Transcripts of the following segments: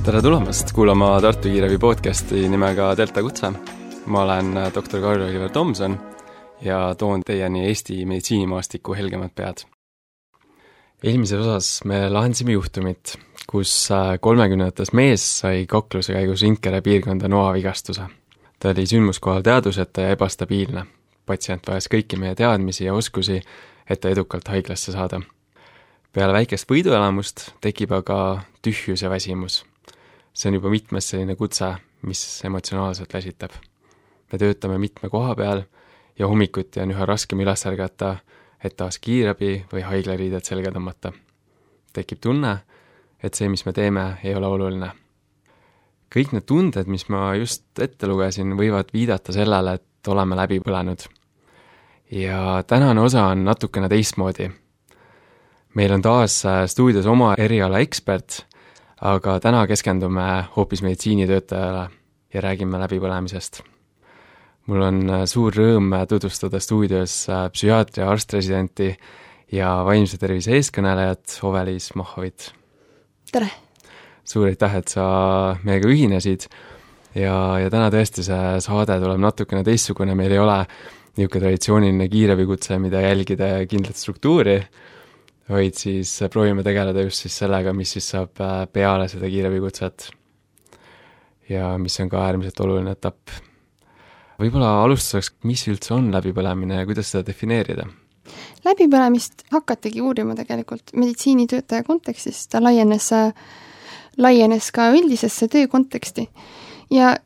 Tere tulemast kuulama Tartu Kiirabi podcasti nimega Delta Kutse. Ma olen doktor Karl-Oliver Tomson ja toon teieni Eesti meditsiinimaastiku helgemad pead. Eelmises osas me lahendasime juhtumit, kus 30-ndates mees sai kakluse käigus Inkere piirkonda noavigastuse. Ta oli sündmuskohal teaduseta ja ebastabiilne. Patsient vajas kõiki meie teadmisi ja oskusi, et ta edukalt haiglasse saada. Peale väikest võiduelamust tekib aga tühjus ja väsimus. See on juba mitmes selline kutse, mis emotsionaalselt väsitab. Me töötame mitme koha peal ja hommikuti on üha raskem üles ärgata, et taas kiirabi või haiglariided selga tõmmata. Tekib tunne, et see, mis me teeme, ei ole oluline. Kõik need tunded, mis ma just ette lugesin, võivad viidata sellele, et oleme läbi põlenud. Ja tänane osa on natukene teistmoodi. Meil on taas stuudios oma eriala ekspert, aga täna keskendume hoopis meditsiinitöötajale ja räägime läbipõlemisest. Mul on suur rõõm tutvustada stuudios psühhiaatria arstresidenti ja vaimse tervise eeskõnelejat Ovelis Mahhovit. Tere! Suur aitäh, et sa meiega ühinesid ja täna tõesti see saade tuleb natukene teistsugune, meil ei ole niisugune traditsiooniline kiirabikutse, mida jälgida ja kindlat struktuuri, vaid siis proovime tegeleda just siis sellega, mis siis saab peale seda kiirabikutset ja mis on ka äärmiselt oluline etapp. Võib-olla alustuseks, mis üldse on läbipõlemine ja kuidas seda defineerida? Läbipõlemist hakatigi uurima tegelikult meditsiinitöötaja kontekstis, ta laienes ka üldisesse töö konteksti. Ja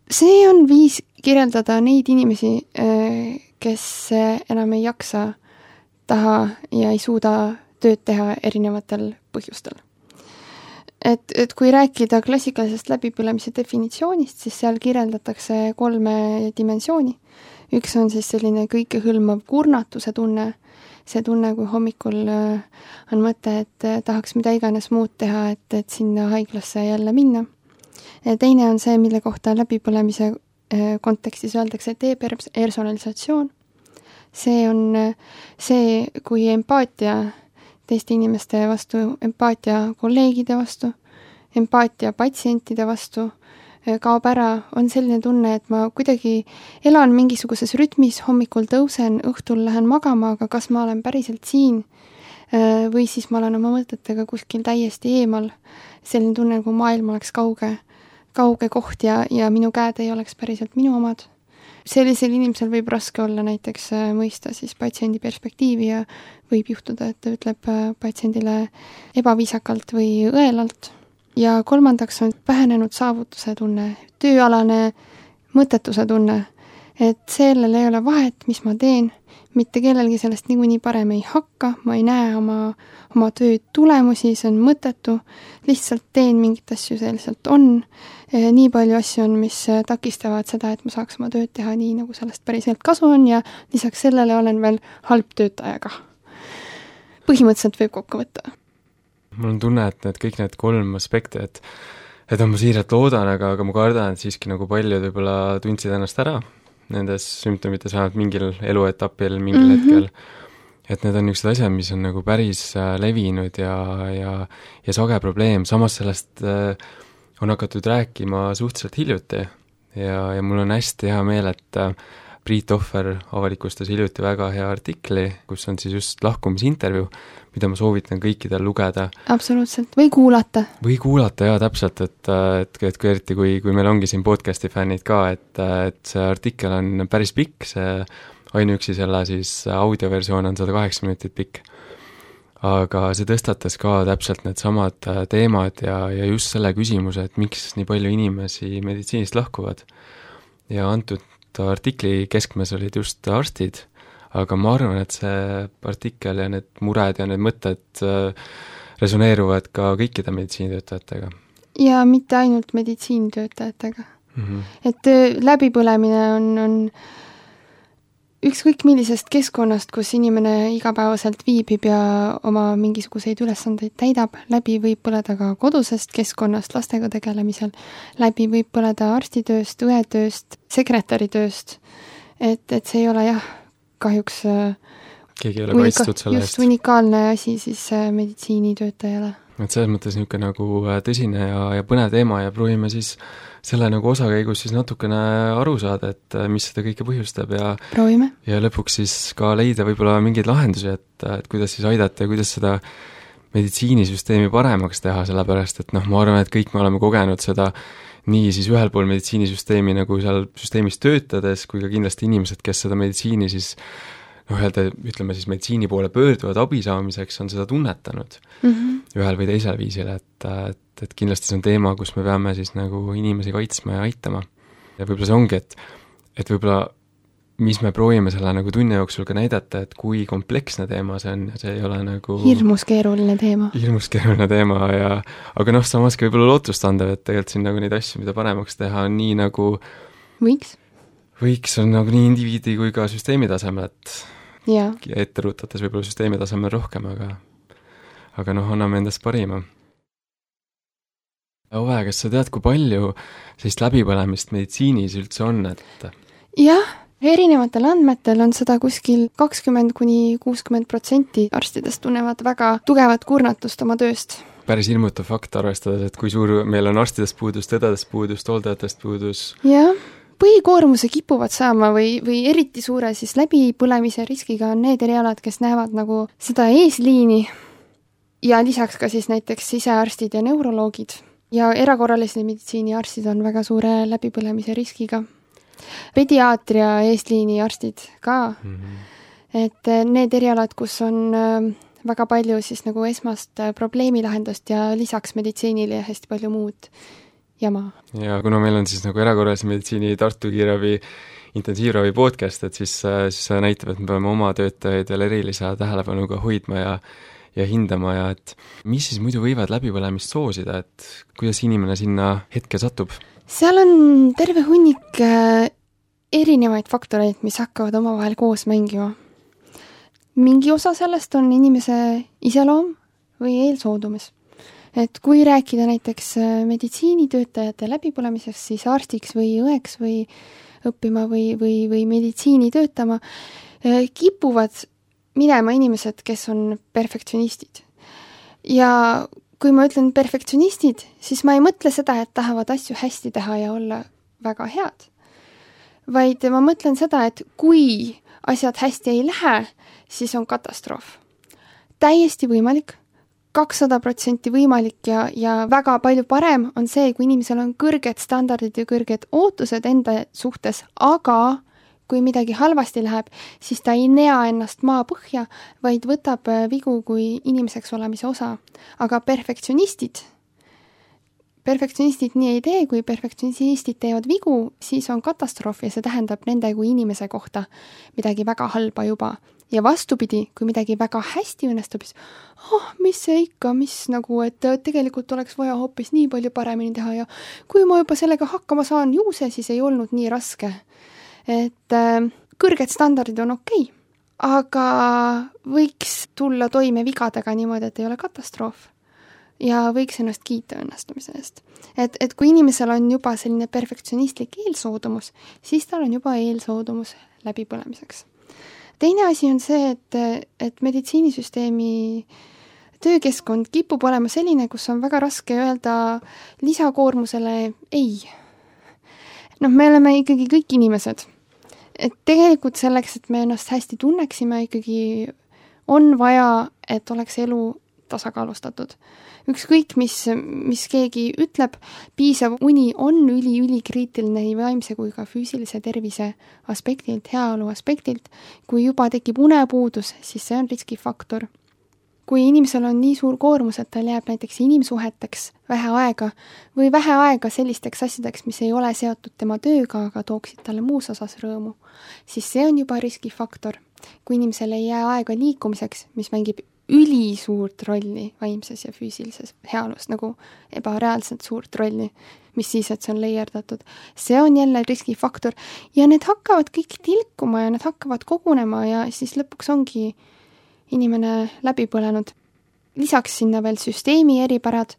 see on viis kirjeldada neid inimesi, kes enam ei jaksa, taha ja ei suuda tööd teha erinevatel põhjustel. Et kui rääkida klassikalisest läbipõlemise definitsioonist, siis seal kirjeldatakse 3 dimensiooni. Üks on siis selline kõikehõlmav kurnatuse tunne, see tunne, kui hommikul on mõte, et tahaks mida iganes muud teha, et sinna haiglasse jälle minna. Teine on see, mille kohta läbipõlemise kontekstis öeldakse depersonalisatsioon. See on see, kui empaatia teiste inimeste vastu, empaatia kolleegide vastu, empaatia patsientide vastu kaob ära, on selline tunne, et ma kuidagi elan mingisuguses rütmis, hommikul tõusen, õhtul lähen magama, aga kas ma olen päriselt siin või siis ma olen oma mõtetega kuskil täiesti eemal. Selline tunne, kui maailm oleks kauge koht ja minu käed ei oleks päriselt minu omad. Sellisel inimesel võib raske olla näiteks mõista siis patsiendi perspektiivi ja võib juhtuda, et ta ütleb patsiendile ebaviisakalt või õelalt. Ja 3. on vähenenud saavutuse tunne, tööalane mõttetuse tunne, et sellel ei ole vahet, mis ma teen, mitte kellelgi sellest niikuinii parem ei hakka, ma ei näe oma töö tulemusi, see on mõttetu, lihtsalt teen mingit asju, see lihtsalt on. Nii palju asju on, mis takistavad seda, et ma saaks oma tööd teha nii, nagu sellest päriselt kasu on ja lisaks sellele olen veel halb töötajaga. Põhimõtteliselt võib kokku võtta. Mul on tunne, et kõik need 3 aspekti, et on ma siiralt loodan, aga ma kardan, et siiski nagu paljud võib-olla tundsid ennast ära nendes sümptomites vähemalt mingil eluetapil, mingil hetkel. Et need on niisugused asjad, mis on nagu päris levinud ja sage probleem. Samas sellest on hakatud rääkima suhteliselt hiljuti ja mul on hästi hea meel, et Priit Ohver avalikustas hiljuti väga hea artikli, kus on siis just lahkumisintervjuu, mida ma soovitan kõikidel lugeda. Absoluutselt, või kuulata. Või kuulata, jaa, täpselt, et eriti kui meil ongi siin podcasti fännid ka, et see artikkel on päris pikk, see ainuüksi selle siis audioversioon on 108 minutit pikk. Aga see tõstatas ka täpselt need samad teemad ja just selle küsimuse, et miks nii palju inimesi meditsiinist lahkuvad. Ja antud artikli keskmes olid just arstid, aga ma arvan, et see artikkel ja need mured ja need mõtted resoneeruvad ka kõikide meditsiinitöötajatega. Ja mitte ainult meditsiinitöötajatega. Et läbipõlemine on ükskõik millisest keskkonnast, kus inimene igapäevaselt viibib ja oma mingisuguseid ülesandeid täidab, läbi võib põleda ka kodusest keskkonnast lastega tegelemisel, läbi võib põleda arstitööst, õetööst, sekretäritööst, et see ei ole kahjuks keegi ei ole kaitstud selle eest. Just unikaalne asi siis meditsiinitöötajale. et selles mõttes niisugune nagu tõsine ja põnev teema ja proovime siis selle nagu osakäigus siis natukene aru saada, et mis seda kõike põhjustab proovime. Ja lõpuks siis ka leida võib-olla mingeid lahendusi, et kuidas siis aidata ja kuidas seda meditsiinisüsteemi paremaks teha, sellepärast et noh, ma arvan, et kõik me oleme kogenud seda nii siis ühel pool meditsiinisüsteemi nagu seal süsteemis töötades, kui ka kindlasti inimesed, kes seda meditsiini siis ütleme siis meditsiini poole pöörduvad abi saamiseks, on seda tunnetanud ühel või teisel viisil, et kindlasti see on teema, kus me peame siis nagu inimesi kaitsma ja aitama. Ja võib-olla see ongi, et võib-olla mis me proovime selle nagu tunni jooksul ka näidata, et kui kompleksne teema see on ja see ei ole nagu hirmus keeruline teema aga noh, samas ka võib-olla lootustandev, et tegelikult siin nagu neid asju, mida paremaks teha, on nii nagu võiks on nagu nii indiviidi kui ka süsteemi tasemel, et ette rutates võib-olla süsteemi tasemel rohkem, aga noh, anname endast parima. Ove, kas sa tead, kui palju sellist läbipõlemist meditsiinis üldse on, et jah, erinevatel andmetel on seda kuskil 20–60% arstidest tunnevad väga tugevat kurnatust oma tööst. Päris ilmutav fakt arvestades, et kui suur meil on arstidest puudust, õdedest puudust, hooldajatest puudus. Jah, põhikoormuse kipuvad saama või eriti suure siis läbipõlemise riskiga on need erialad, kes näevad nagu seda eesliini ja lisaks ka siis näiteks sisearstid ja neuroloogid ja erakorralise meditsiini arstid on väga suure läbipõlemise riskiga. Pediaatria eesliini arstid ka, et need erialad, kus on väga palju siis nagu esmast probleemilahendust ja lisaks meditsiinile ja hästi palju muud jama. Ja kuna meil on siis nagu erakorralise meditsiini Tartu Kiirabi intensiivravi podcast, et siis see näitab, et me peame oma töötajaid veel erilise tähelepanuga hoidma ja hindama ja et mis siis muidu võivad läbipõlemist soosida, et kuidas inimene sinna hetke satub? Seal on terve hunnik erinevaid faktoreid, mis hakkavad omavahel koos mängima. Mingi osa sellest on inimese iseloom või eelsoodumus. Et kui rääkida näiteks meditsiinitöötajate läbipõlemisest, siis arstiks või õeks või õppima või meditsiini töötama, kipuvad minema inimesed, kes on perfektsionistid. Ja kui ma ütlen perfektsionistid, siis ma ei mõtle seda, et tahavad asju hästi teha ja olla väga head. Vaid ma mõtlen seda, et kui asjad hästi ei lähe, siis on katastroof. Täiesti võimalik, 200% võimalik ja väga palju parem on see, kui inimesel on kõrged standardid ja kõrged ootused enda suhtes, aga kui midagi halvasti läheb, siis ta ei nea ennast maa põhja, vaid võtab vigu kui inimeseks olemise osa. Aga perfektsionistid nii ei tee, kui perfektsionistid teevad vigu, siis on katastroof ja see tähendab nende kui inimese kohta midagi väga halba juba. Ja vastupidi, kui midagi väga hästi õnnestub, siis mis see ikka, mis nagu, et tegelikult oleks vaja hoopis nii palju paremini teha ja kui ma juba sellega hakkama saan, ju see siis ei olnud nii raske. Et kõrged standardid on okei, aga võiks tulla toime vigadega niimoodi, et ei ole katastroof ja võiks ennast kiita õnnestumise eest. Et kui inimesel on juba selline perfektsionistlik eelsoodumus, siis tal on juba eelsoodumus läbipõlemiseks. Teine asi on see, et meditsiinisüsteemi töökeskkond kipub olema selline, kus on väga raske öelda lisakoormusele ei. Me oleme ikkagi kõik inimesed. Et tegelikult selleks, et me ennast hästi tunneksime, ikkagi on vaja, et oleks elu tasakaalustatud. Ükskõik, mis keegi ütleb, piisav uni on ülikriitiline nii vaimse kui ka füüsilise tervise aspektilt, heaolu aspektilt. Kui juba tekib unepuudus, siis see on riskifaktor. Kui inimesel on nii suur koormus, et tal jääb näiteks inimsuheteks vähe aega või vähe aega sellisteks asjadeks, mis ei ole seotud tema tööga, aga tooksid talle muus osas rõõmu, siis see on juba riskifaktor. Kui inimesel ei jää aega liikumiseks, mis mängib ülisuurt rolli vaimses ja füüsilises heaolus, nagu ebareaalselt suurt rolli, mis siis, et see on leierdatud. See on jälle riskifaktor ja need hakkavad kõik tilkuma ja need hakkavad kogunema ja siis lõpuks ongi inimene läbi põlenud. Lisaks sinna veel süsteemi eripärad.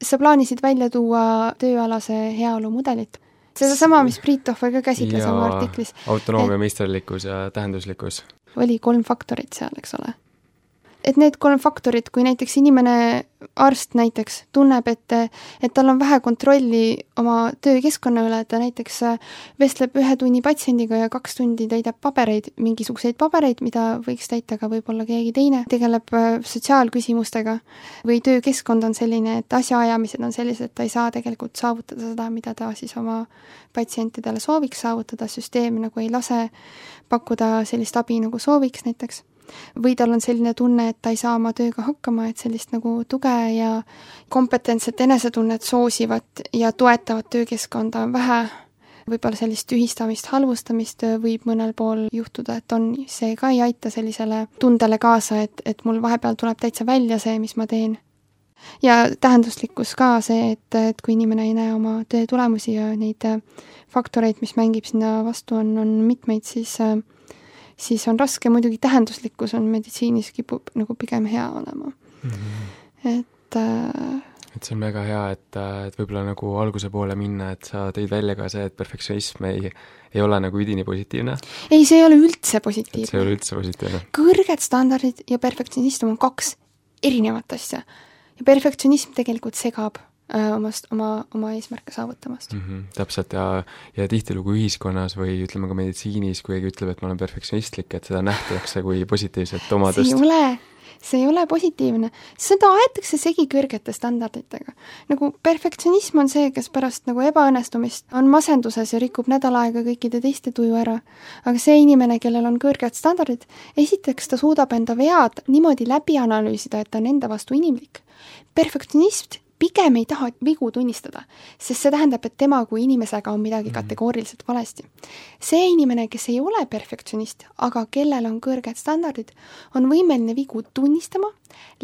Sa plaanisid välja tuua tööalase heaolu mudelit. Seda sama, mis Priit Tohver ka käsitles oma artiklis. Autonoomia, meisterlikkus ja tähenduslikkus. Oli 3 faktorit seal, eks ole. et need 3 faktorit, kui näiteks inimene, arst näiteks, tunneb, et tal on vähe kontrolli oma töökeskkonna üle, et ta näiteks vestleb 1 tunni patsiendiga ja 2 tundi täidab mingisuguseid pabereid, mida võiks täita ka võib-olla keegi teine, tegeleb sotsiaalküsimustega või töökeskkond on selline, et asjaajamised on sellised, et ta ei saa tegelikult saavutada seda, mida ta siis oma patsientidele sooviks saavutada, süsteem nagu ei lase pakkuda sellist abi, nagu sooviks näiteks. Või tal on selline tunne, et ta ei saa oma tööga hakkama, et sellist nagu tuge ja kompetentset enesetunnet soosivat ja toetavat töökeskkonda on vähe. Võib-olla sellist tühistamist, halvustamist võib mõnel pool juhtuda, et see ka ei aita sellisele tundele kaasa, et mul vahepeal tuleb täitsa välja see, mis ma teen. Ja tähenduslikkus ka see, et kui inimene ei näe oma töö tulemusi ja neid faktoreid, mis mängib sinna vastu, on mitmeid, siis on raske, muidugi tähenduslikkus on meditsiinis kipub nagu pigem hea olema. Et see on väga hea, et võib-olla nagu alguse poole minna, et sa tõid välja ka see, et perfektsionism ei ole nagu üdini positiivne. Ei, see ei ole üldse positiivne. See ei ole üldse positiivne. Kõrged standardid ja perfektsionism on 2 erinevat asja. Ja perfektsionism tegelikult segab oma eesmärke saavutamast. Täpselt ja tihtilugu ühiskonnas või ütleme ka meditsiinis, kui keegi ütleb, et ma olen perfektsionistlik, et seda nähtakse kui positiivset omadust. See ei ole positiivne. Seda aetakse segi kõrgete standarditega. Nagu perfektsionism on see, kes pärast nagu ebaõnnestumist on masenduses ja rikub nädal aega kõikide teiste tuju ära. Aga see inimene, kellel on kõrged standardid, esiteks ta suudab enda vead niimoodi läbi analüüsida, et ta on enda vastu inimlik. Perfektsionist pigem ei taha vigu tunnistada, sest see tähendab, et tema kui inimesega on midagi kategooriliselt valesti. See inimene, kes ei ole perfektsionist, aga kellel on kõrged standardid, on võimeline vigu tunnistama,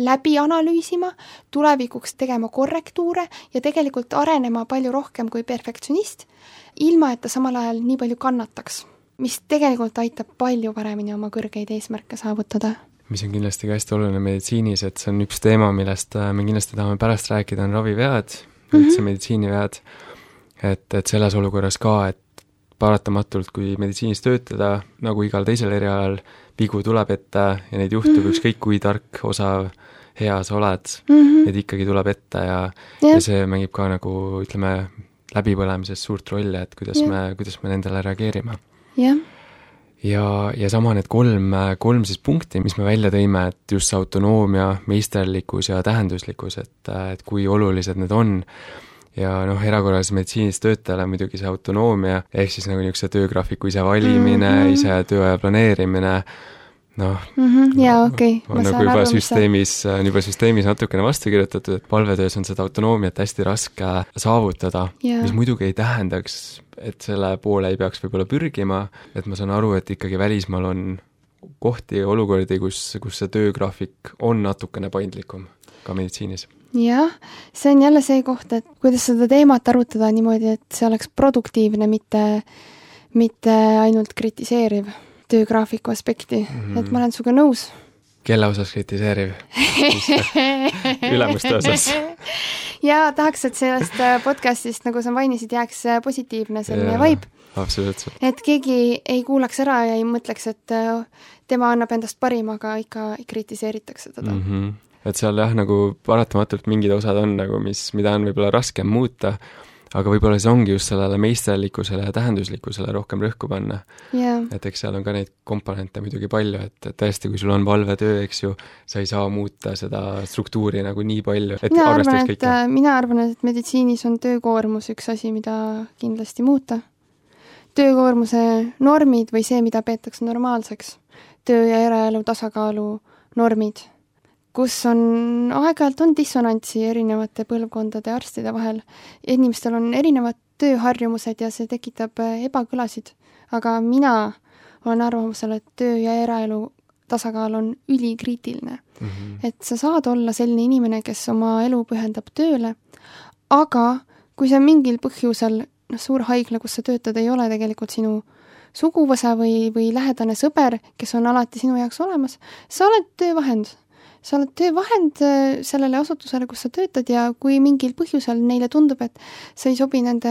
läbi analüüsima, tulevikuks tegema korrektuure ja tegelikult arenema palju rohkem kui perfektsionist, ilma et ta samal ajal nii palju kannataks, mis tegelikult aitab palju paremini oma kõrgeid eesmärke saavutada. Mis on kindlasti ka hästi oluline meditsiinis, et see on üks teema, millest me kindlasti tahame pärast rääkida, on ravivead, üldse meditsiinivead, et selles olukorras ka, et paratamatult, kui meditsiinis töötada, nagu igal teisel erialal, vigu tuleb ette ja neid juhtub ükskõik kui tark, osav, hea sa oled, et ikkagi tuleb ette ja see mängib ka nagu, ütleme, läbipõlemises suurt rolli, et kuidas me nendele reageerime. Ja sama need kolm siis punkti, mis me välja tõime, et just see autonoomia, meisterlikkus ja tähenduslikkus, et kui olulised need on. Ja erakorralises meditsiinis töötajale muidugi see autonoomia, ehk siis nagu niisuguse töögraafiku ise valimine, ise tööaja planeerimine, on nagu juba süsteemis natukene vastu kirjutatud, et palvetöös on seda autonoomiat hästi raske saavutada, mis muidugi ei tähendaks, et selle poole ei peaks võib-olla pürgima, et ma saan aru, et ikkagi välismaal on kohti ja olukordi, kus see töögraafik on natukene paindlikum ka meditsiinis. Jah, see on jälle see koht, et kuidas seda teemat arutada niimoodi, et see oleks produktiivne, mitte ainult kritiseeriv töögraafiku aspekti, et ma olen suga nõus. Kelle osas kritiseeriv? Ülemuste osas? Ja tahaks, et sellest podcastist, nagu sa mainisid, jääks positiivne selline vibe. Absoluutselt. Et keegi ei kuulaks ära ja ei mõtleks, et tema annab endast parim, aga ikka kritiseeritakse teda. Et seal nagu paratamatult mingid osad on nagu, mida on võib-olla raskem muuta, aga võib-olla see ongi just sellele meisterlikkusele ja tähenduslikkusele rohkem rõhku panna. Et eks seal on ka neid komponente muidugi palju, et tõesti, kui sul on valvetöö, eks ju, sa ei saa muuta seda struktuuri nagu nii palju, et arvestaks kõike. Mina arvan, et meditsiinis on töökoormus üks asi, mida kindlasti muuta. Töökoormuse normid või see, mida peetakse normaalseks. Töö ja eraelu tasakaalu normid, kus on aeg-ajalt on dissonantsi erinevate põlvkondade arstide vahel. Inimestel on erinevad tööharjumused ja see tekitab ebakõlasid. Aga mina olen arvamusel, et töö ja eraelu tasakaal on ülikriitiline. Et sa saad olla selline inimene, kes oma elu pühendab tööle, aga kui see mingil põhjusel suur haigla, kus sa töötad, ei ole tegelikult sinu suguvõsa või lähedane sõber, kes on alati sinu jaoks olemas, sa oled töövahend. Sa oled töövahend sellele asutusele, kus sa töötad ja kui mingil põhjusel neile tundub, et sa ei sobi nende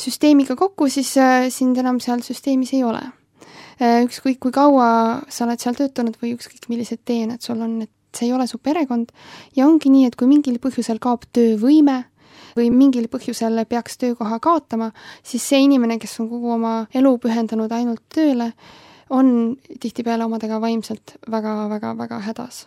süsteemiga kokku, siis sind enam seal süsteemis ei ole. ükskõik kui kaua sa oled seal töötanud või ükskõik millised teened sul on, et see ei ole su perekond ja ongi nii, et kui mingil põhjusel kaob töövõime või mingil põhjusel peaks töökoha kaotama, siis see inimene, kes on kogu oma elu pühendanud ainult tööle, on tihtipeale omadega vaimselt väga hädas.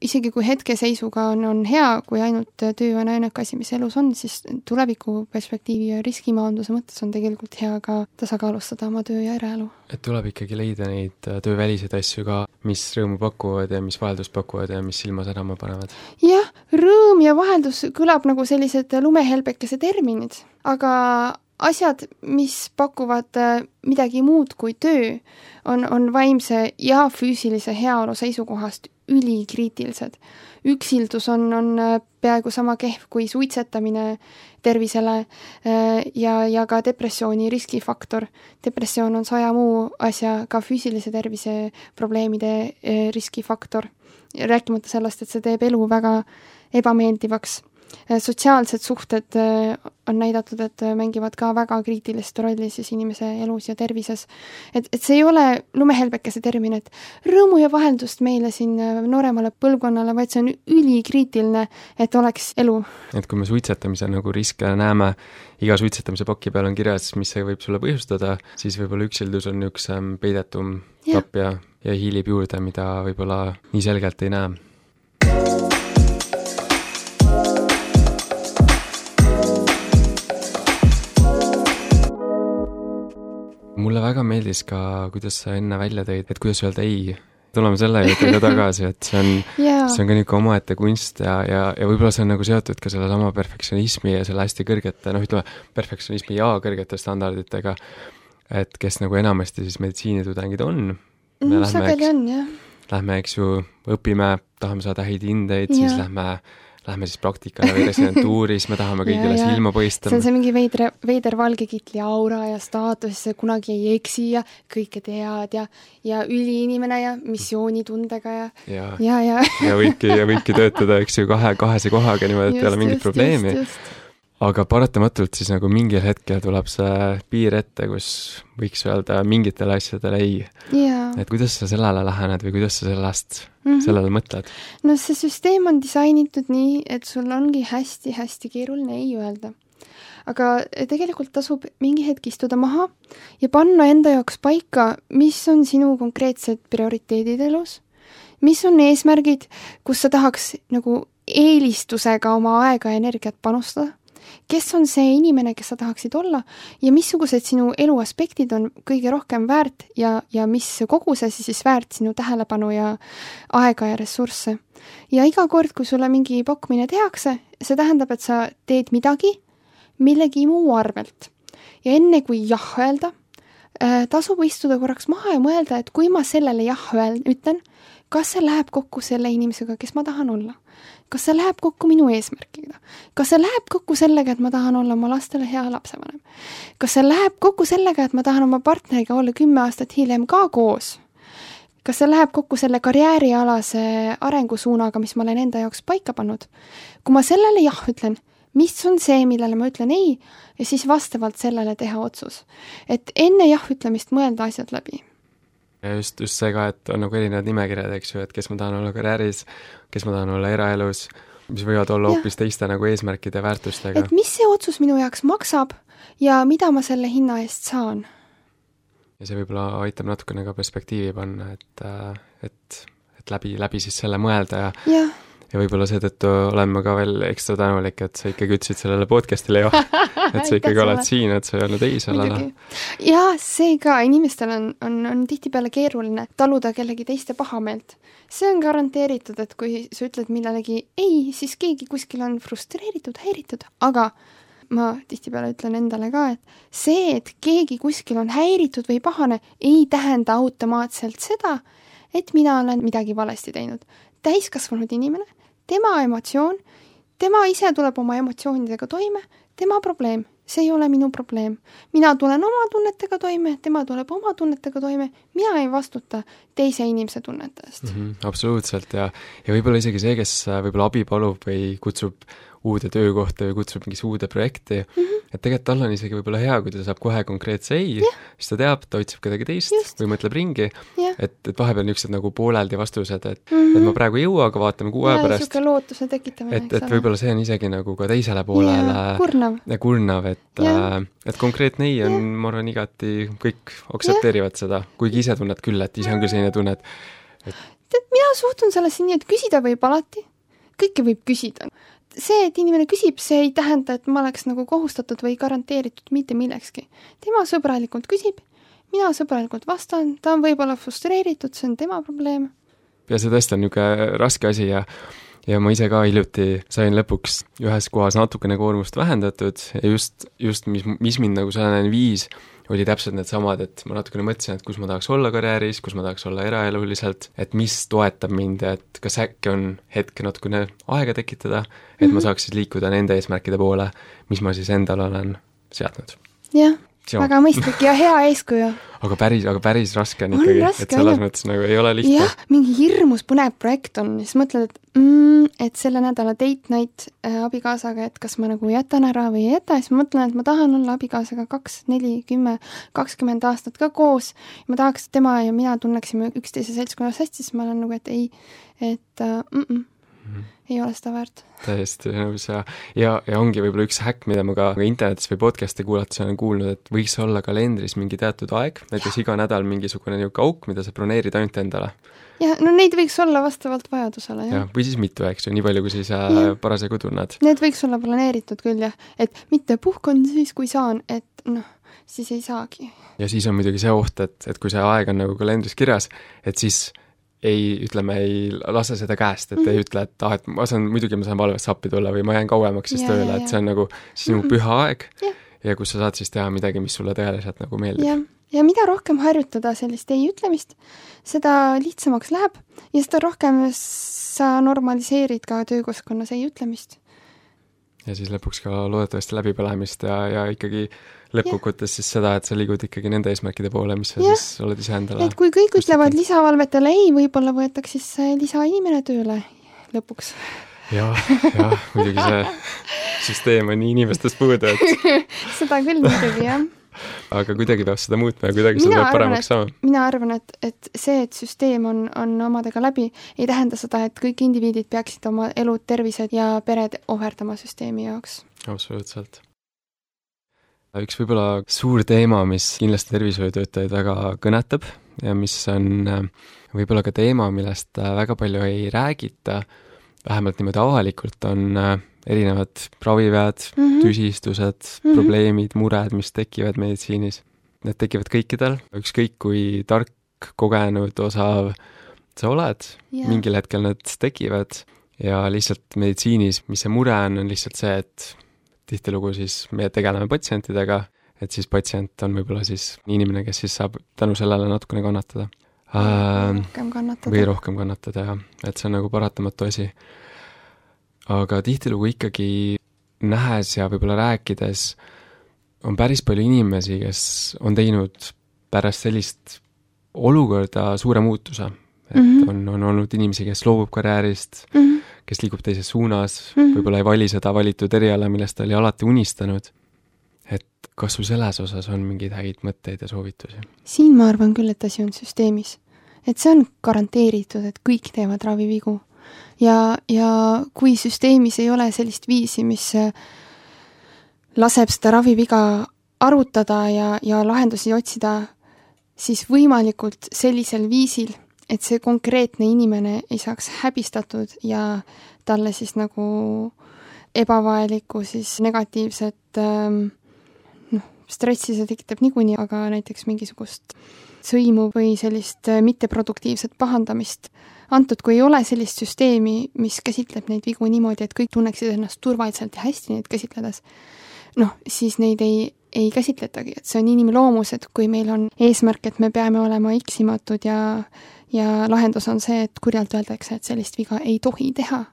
Isegi kui hetkeseisuga on hea, kui ainult töö on ainuke asi, mis elus on, siis tuleviku perspektiivi ja riskimaanduse mõttes on tegelikult hea ka tasakaalustada oma töö ja eraelu. Et tuleb ikkagi leida neid tööväliseid asju ka, mis rõõmu pakuvad ja mis vaheldust pakuvad ja mis silma särama panevad. Jah, rõõm ja vaheldus kõlab nagu sellised lumehelbekese terminid, aga asjad, mis pakuvad midagi muud kui töö, on vaimse ja füüsilise heaolu seisukohast ülikriitilised. Üksildus on peaaegu sama kehv kui suitsetamine tervisele ja ka depressiooni riskifaktor. Depressioon on 100 muu asja, ka füüsilise tervise probleemide riskifaktor. Rääkimata sellest, et see teeb elu väga ebameeldivaks. Sotsiaalsed suhted on näidatud, et mängivad ka väga kriitilist rolli siis inimese elus ja tervises. Et see ei ole lumehelbekese termin, et rõõmu ja vaheldust meile siin nooremale põlvkonnale, vaid see on ülikriitiline, et oleks elu. Et kui me suitsetamise nagu riske näeme, iga suitsetamise paki peal on kirjas, mis see võib sulle põhjustada, siis võib-olla üksildus on üks peidetum tapp ja hiilib juurde, mida võib-olla nii selgelt ei näe. Mulle väga meeldis ka, kuidas sa enne välja tõid, et kuidas öelda ei. Tuleme selle juurde ka tagasi, et see on ka niisugune omaette kunst ja võib-olla see on nagu seotud ka selle sama perfektsionismi ja selle hästi kõrgete, perfektsionismi ja kõrgete standarditega, et kes nagu enamasti siis meditsiinitudengid on. Sageli on, jah. Lähme, eks ju, õpime, tahame saada häid hindeid, siis lähme siis praktikale või residentuuris, me tahame kõigile silma poistama. See on see mingi veider valgekitli aura ja staatus, see kunagi ei eksi ja kõike tead ja üliinimene ja missioonitundega ja võibki töötada, eks ju, kahese kohaga niimoodi, et ei ole mingit probleemi. Aga paratamatult siis nagu mingil hetkel tuleb see piir ette, kus võiks öelda mingitele asjadele ei. Et kuidas sa sellele lähened või kuidas sa sellele mõtled? No see süsteem on disainitud nii, et sul ongi hästi keeruline ei öelda. Aga tegelikult tasub mingi hetk istuda maha ja panna enda jaoks paika, mis on sinu konkreetsed prioriteedid elus, mis on eesmärgid, kus sa tahaks nagu eelistusega oma aega ja energiat panustada, kes on see inimene, kes sa tahaksid olla ja missugused sinu elu aspektid on kõige rohkem väärt ja mis kogusesi siis väärt sinu tähelepanu ja aega ja ressursse. Ja iga kord, kui sulle mingi pakkumine tehakse, see tähendab, et sa teed midagi millegi muu arvelt. Ja enne kui jah öelda, tasub istuda korraks maha ja mõelda, et kui ma sellele jah ütlen, kas see läheb kokku selle inimesega, kes ma tahan olla? Kas see läheb kokku minu eesmärkiga? Kas see läheb kokku sellega, et ma tahan olla oma lastele hea lapsevanem? Kas see läheb kokku sellega, et ma tahan oma partneriga olla 10 aastat hiljem ka koos? Kas see läheb kokku selle karjäärialase arengusuunaga, mis ma olen enda jaoks paika pannud? Kui ma sellele jah ütlen, mis on see, millele ma ütlen ei, ja siis vastavalt sellele teha otsus. Et enne jah ütlemist mõelda asjad läbi. Ja just see ka, et on nagu erinevad nimekirjad, eks ju, et kes ma tahan olla karjääris, kes ma tahan olla eraelus, mis võivad olla hoopis teiste nagu eesmärkide ja väärtustega. Et mis see otsus minu jaoks maksab ja mida ma selle hinna eest saan? Ja see võib-olla aitab natukene ka perspektiivi panna, et läbi siis selle mõelda ja võib-olla seetõttu olen ma ka veel ekstra tänulik, et sa ikkagi ütlesid sellele podcastile et sa ikkagi oled siin, et sa ei olnud ei sellele. Ja see ka, inimestel on tihtipeale keeruline taluda kellegi teiste pahameelt. See on garanteeritud, et kui sa ütled millelegi ei, siis keegi kuskil on frustreeritud, häiritud, aga ma tihtipeale ütlen endale ka, et see, et keegi kuskil on häiritud või pahane, ei tähenda automaatselt seda, et mina olen midagi valesti teinud. Täiskasvanud inimene, tema emotsioon, tema ise tuleb oma emotsioonidega toime, tema probleem, see ei ole minu probleem. Mina tulen oma tunnetega toime, tema tuleb oma tunnetega toime, mina ei vastuta teise inimese tunnete eest. Absoluutselt ja võib-olla isegi see, kes võib-olla abi palub või kutsub uude töökohta või kutsub mingisse uude projekti, et tegelikult tal on isegi võib-olla hea, kui ta saab kohe konkreetse ei, siis ta teab, ta otsib kedagi teist või mõtleb ringi, et vahepeal niisugused nagu pooleldi vastused, et ma praegu ei jõua, aga vaatame 6 aja pärast. Ja lootuse tekitamine, et võib-olla see on isegi nagu ka teisele poolele kurnav, et konkreetne ei on, ma arvan, igati kõik aktsepteerivad seda, kuigi ise tunned küll, et ise on küll selline tunne, et mina suhtun sellesse nii, et küsida võib alati, kõike võib küsida. See, et inimene küsib, see ei tähenda, et ma oleks nagu kohustatud või garanteeritud mitte millekski. Tema sõbralikult küsib, mina sõbralikult vastan, ta on võib-olla frustreeritud, see on tema probleem. Ja see tõesti on niisugune raske asi ja ma ise ka hiljuti sain lõpuks ühes kohas natukene koormust vähendatud ja just mis mind nagu sellene viis, oli täpselt need samad, et ma natukene mõtlesin, et kus ma tahaks olla karjääris, kus ma tahaks olla eraeluliselt, et mis toetab mind, et kas äkki on hetk natukene aega tekitada, et ma saaks siis liikuda nende eesmärkide poole, mis ma siis endal olen seadnud. Jah, väga mõistlik ja hea eeskuju. Aga päris raske on ikkagi, et selles mõttes nagu ei ole lihtne. Jah, mingi hirmus põnev projekt on, siis mõtled, et selle nädala date night abikaasaga, et kas ma nagu jätan ära või ei jäta, siis ma mõtlen, et ma tahan olla abikaasaga 2, 4, 10, 20 aastat ka koos. Ma tahaks, et tema ja mina tunneksime üksteise seltskonnas hästi, siis ma olen nagu, et ei, ei ole seda väärt. Täiesti nõus ja ongi võib-olla üks häkk, mida ma ka internetis või podcasti kuulates olen kuulnud, et võiks olla kalendris mingi teatud aeg, näiteks iga nädal mingisugune auk, mida sa broneerid ainult endale. Ja, no neid võiks olla vastavalt vajadusele, jah. Või siis mitu, eks ju, nii palju, kui siis parasjagu tunned. Need võiks olla planeeritud küll, jah, et mitte puhkan siis, kui saan, et siis ei saagi. Ja siis on muidugi see oht, et kui see aeg on nagu kalendris kirjas, et siis ei lase seda käest, et ei ütle, et ma saan valvesse appi tulla või ma jään kauemaks siis tööle, et see on nagu sinu püha aeg ja kus sa saad siis teha midagi, mis sulle tegelikult nagu meeldib. Ja mida rohkem harjutada sellist ei ütlemist, seda lihtsamaks läheb ja seda rohkem sa normaliseerid ka töökeskkonnas ei ütlemist. Ja siis lõpuks ka loodetavasti läbipõlemist ja ikkagi lõppkokkuvõttes siis seda, et sa liigud ikkagi nende eesmärkide poole, mis sa siis oled ise endale. Et kui kõik ütlevad lisavalvetele ei, võib-olla võetaks siis lisainimene tööle lõpuks. Jah, muidugi see süsteem on nii inimestest puudu, et seda küll muidugi, jah. Aga kuidagi peab seda muutma ja kuidagi seda peab paremaks saama. Mina arvan, et see, et süsteem on omadega läbi, ei tähenda seda, et kõik indiviidid peaksid oma elud, tervised ja pered ohverdama süsteemi jaoks. Absoluutselt. Üks võib-olla suur teema, mis kindlasti tervishoiutöötajaid väga kõnetab ja mis on võib-olla ka teema, millest väga palju ei räägita, vähemalt niimoodi avalikult, on erinevad ravivead, tüsistused, probleemid, mured, mis tekivad meditsiinis. Need tekivad kõikidel, ükskõik kui tark, kogenud, osav sa oled, mingil hetkel need tekivad ja lihtsalt meditsiinis, mis see mure on lihtsalt see, et tihtilugu siis me tegeleme patsientidega, et siis patsient on võib-olla siis inimene, kes siis saab tänu sellele natukene kannatada. Või rohkem kannatada, jah. Et see on nagu paratamatu asi. Aga tihtilugu ikkagi nähes ja võib-olla rääkides on päris palju inimesi, kes on teinud pärast sellist olukorda suure muutuse. Et on olnud inimesi, kes loobub karjäärist, kes liigub teises suunas, võib-olla ei vali seda valitud eriala, millest ta oli alati unistanud. Et kas sul selles osas on mingeid häid mõtteid ja soovitusi? Siin ma arvan küll, et asi on süsteemis. Et see on garanteeritud, et kõik teevad ravivigu. Ja kui süsteemis ei ole sellist viisi, mis laseb seda raviviga arutada ja lahendusi otsida, siis võimalikult sellisel viisil, et see konkreetne inimene ei saaks häbistatud ja talle siis nagu ebavajalikku siis negatiivset stressi see tekitab niikuinii, aga näiteks mingisugust sõimu või sellist mitteproduktiivset pahandamist. Antud, kui ei ole sellist süsteemi, mis käsitleb neid vigu niimoodi, et kõik tunneksid ennast turvaliselt ja hästi neid käsitledes, siis neid ei käsitletagi, et see on inimloomus, et kui meil on eesmärk, et me peame olema eksimatud ja lahendus on see, et kurjalt öeldakse, et sellist viga ei tohi teha,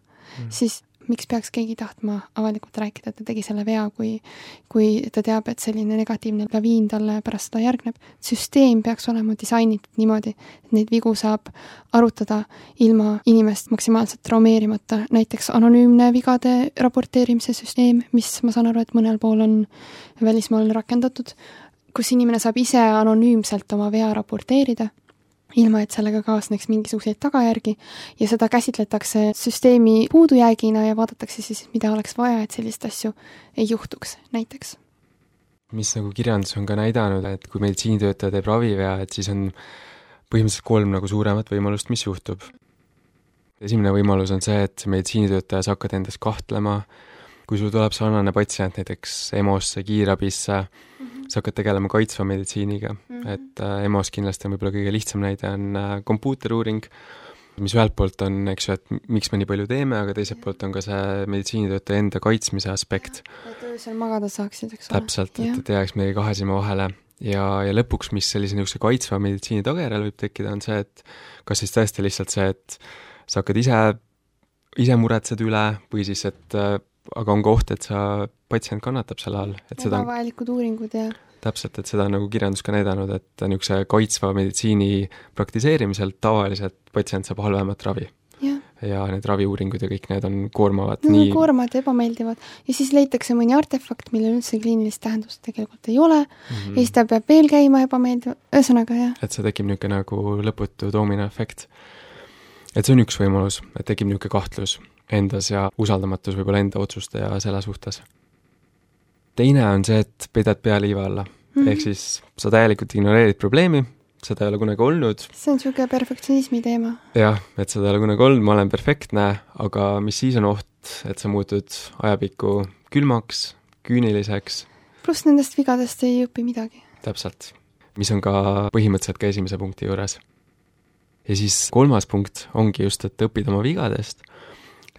siis miks peaks keegi tahtma avalikult rääkida, et ta tegi selle vea, kui ta teab, et selline negatiivne laviin talle pärast seda järgneb. Süsteem peaks olema disainitud niimoodi, et neid vigu saab arutada ilma inimest maksimaalselt traumeerimata. Näiteks anonüümne vigade raporteerimise süsteem, mis ma saan aru, et mõnel pool on välismaal rakendatud, kus inimene saab ise anonüümselt oma vea raporteerida, ilma et sellega kaasneks mingisuguseid tagajärgi ja seda käsitletakse süsteemi puudujäägina ja vaadatakse siis, mida oleks vaja, et sellist asju ei juhtuks näiteks. Mis nagu kirjandus on ka näidanud, et kui meditsiinitöötaja teeb ravivea, et siis on põhimõtteliselt 3 nagu suuremat võimalust, mis juhtub. Esimene võimalus on see, et meditsiinitöötaja sa hakkad endas kahtlema, kui sul tuleb sarnane patsient näiteks EMO-sse, kiirabisse, sa hakkad tegelema kaitsva meditsiiniga, et EMO-s kindlasti on võib-olla kõige lihtsam näide on kompuuteruuring, mis ühelt poolt on, eks ju, et miks me nii palju teeme, aga teiselt poolt on ka see meditsiinitöötaja enda kaitsmise aspekt. Et öösel magada saaksid, eks ole. Täpselt, et jääks meie 2 silma vahele. Ja lõpuks, mis sellise niisuguse kaitsva meditsiini tagajärjel võib tekkida, on see, et kas siis tõesti lihtsalt see, et sa hakkad ise muretsed üle või siis, et aga on ka oht, et sa patsient kannatab selle all. Et seda vajalikud uuringud ja... Täpselt, et seda on nagu kirjandus ka näidanud, et niisuguse kaitsva meditsiini praktiseerimisel tavaliselt patsient saab halvemat ravi. Ja need raviuuringud ja kõik need on koormavad. No, nii... koormavad ja ebameeldivad. Ja siis leitakse mõni artefakt, millel üldse kliinilist tähendust tegelikult ei ole. Ja siis ta peab veel käima ebameeldivad. Ühesõnaga, jah. Et see tekib niisugune nagu lõputu doominoefekt. Et see on üks võimalus, et tekib niisugune kahtlus endas ja usaldamatus võib-olla enda otsuste ja selle suhtes. Teine on see, et peidad pea liiva alla. Ehk siis sa täielikult ignoreerid probleemi, seda ei ole kunagi olnud. See on niisugune perfektsionismi teema. Jah, et seda ei ole kunagi olnud, ma olen perfektne, aga mis siis on oht, et sa muutud ajapikku külmaks, küüniliseks. Pluss nendest vigadest ei õpi midagi. Täpselt. Mis on ka põhimõtteliselt ka esimese punkti juures. Ja siis 3. punkt ongi just, et õppida oma vigadest.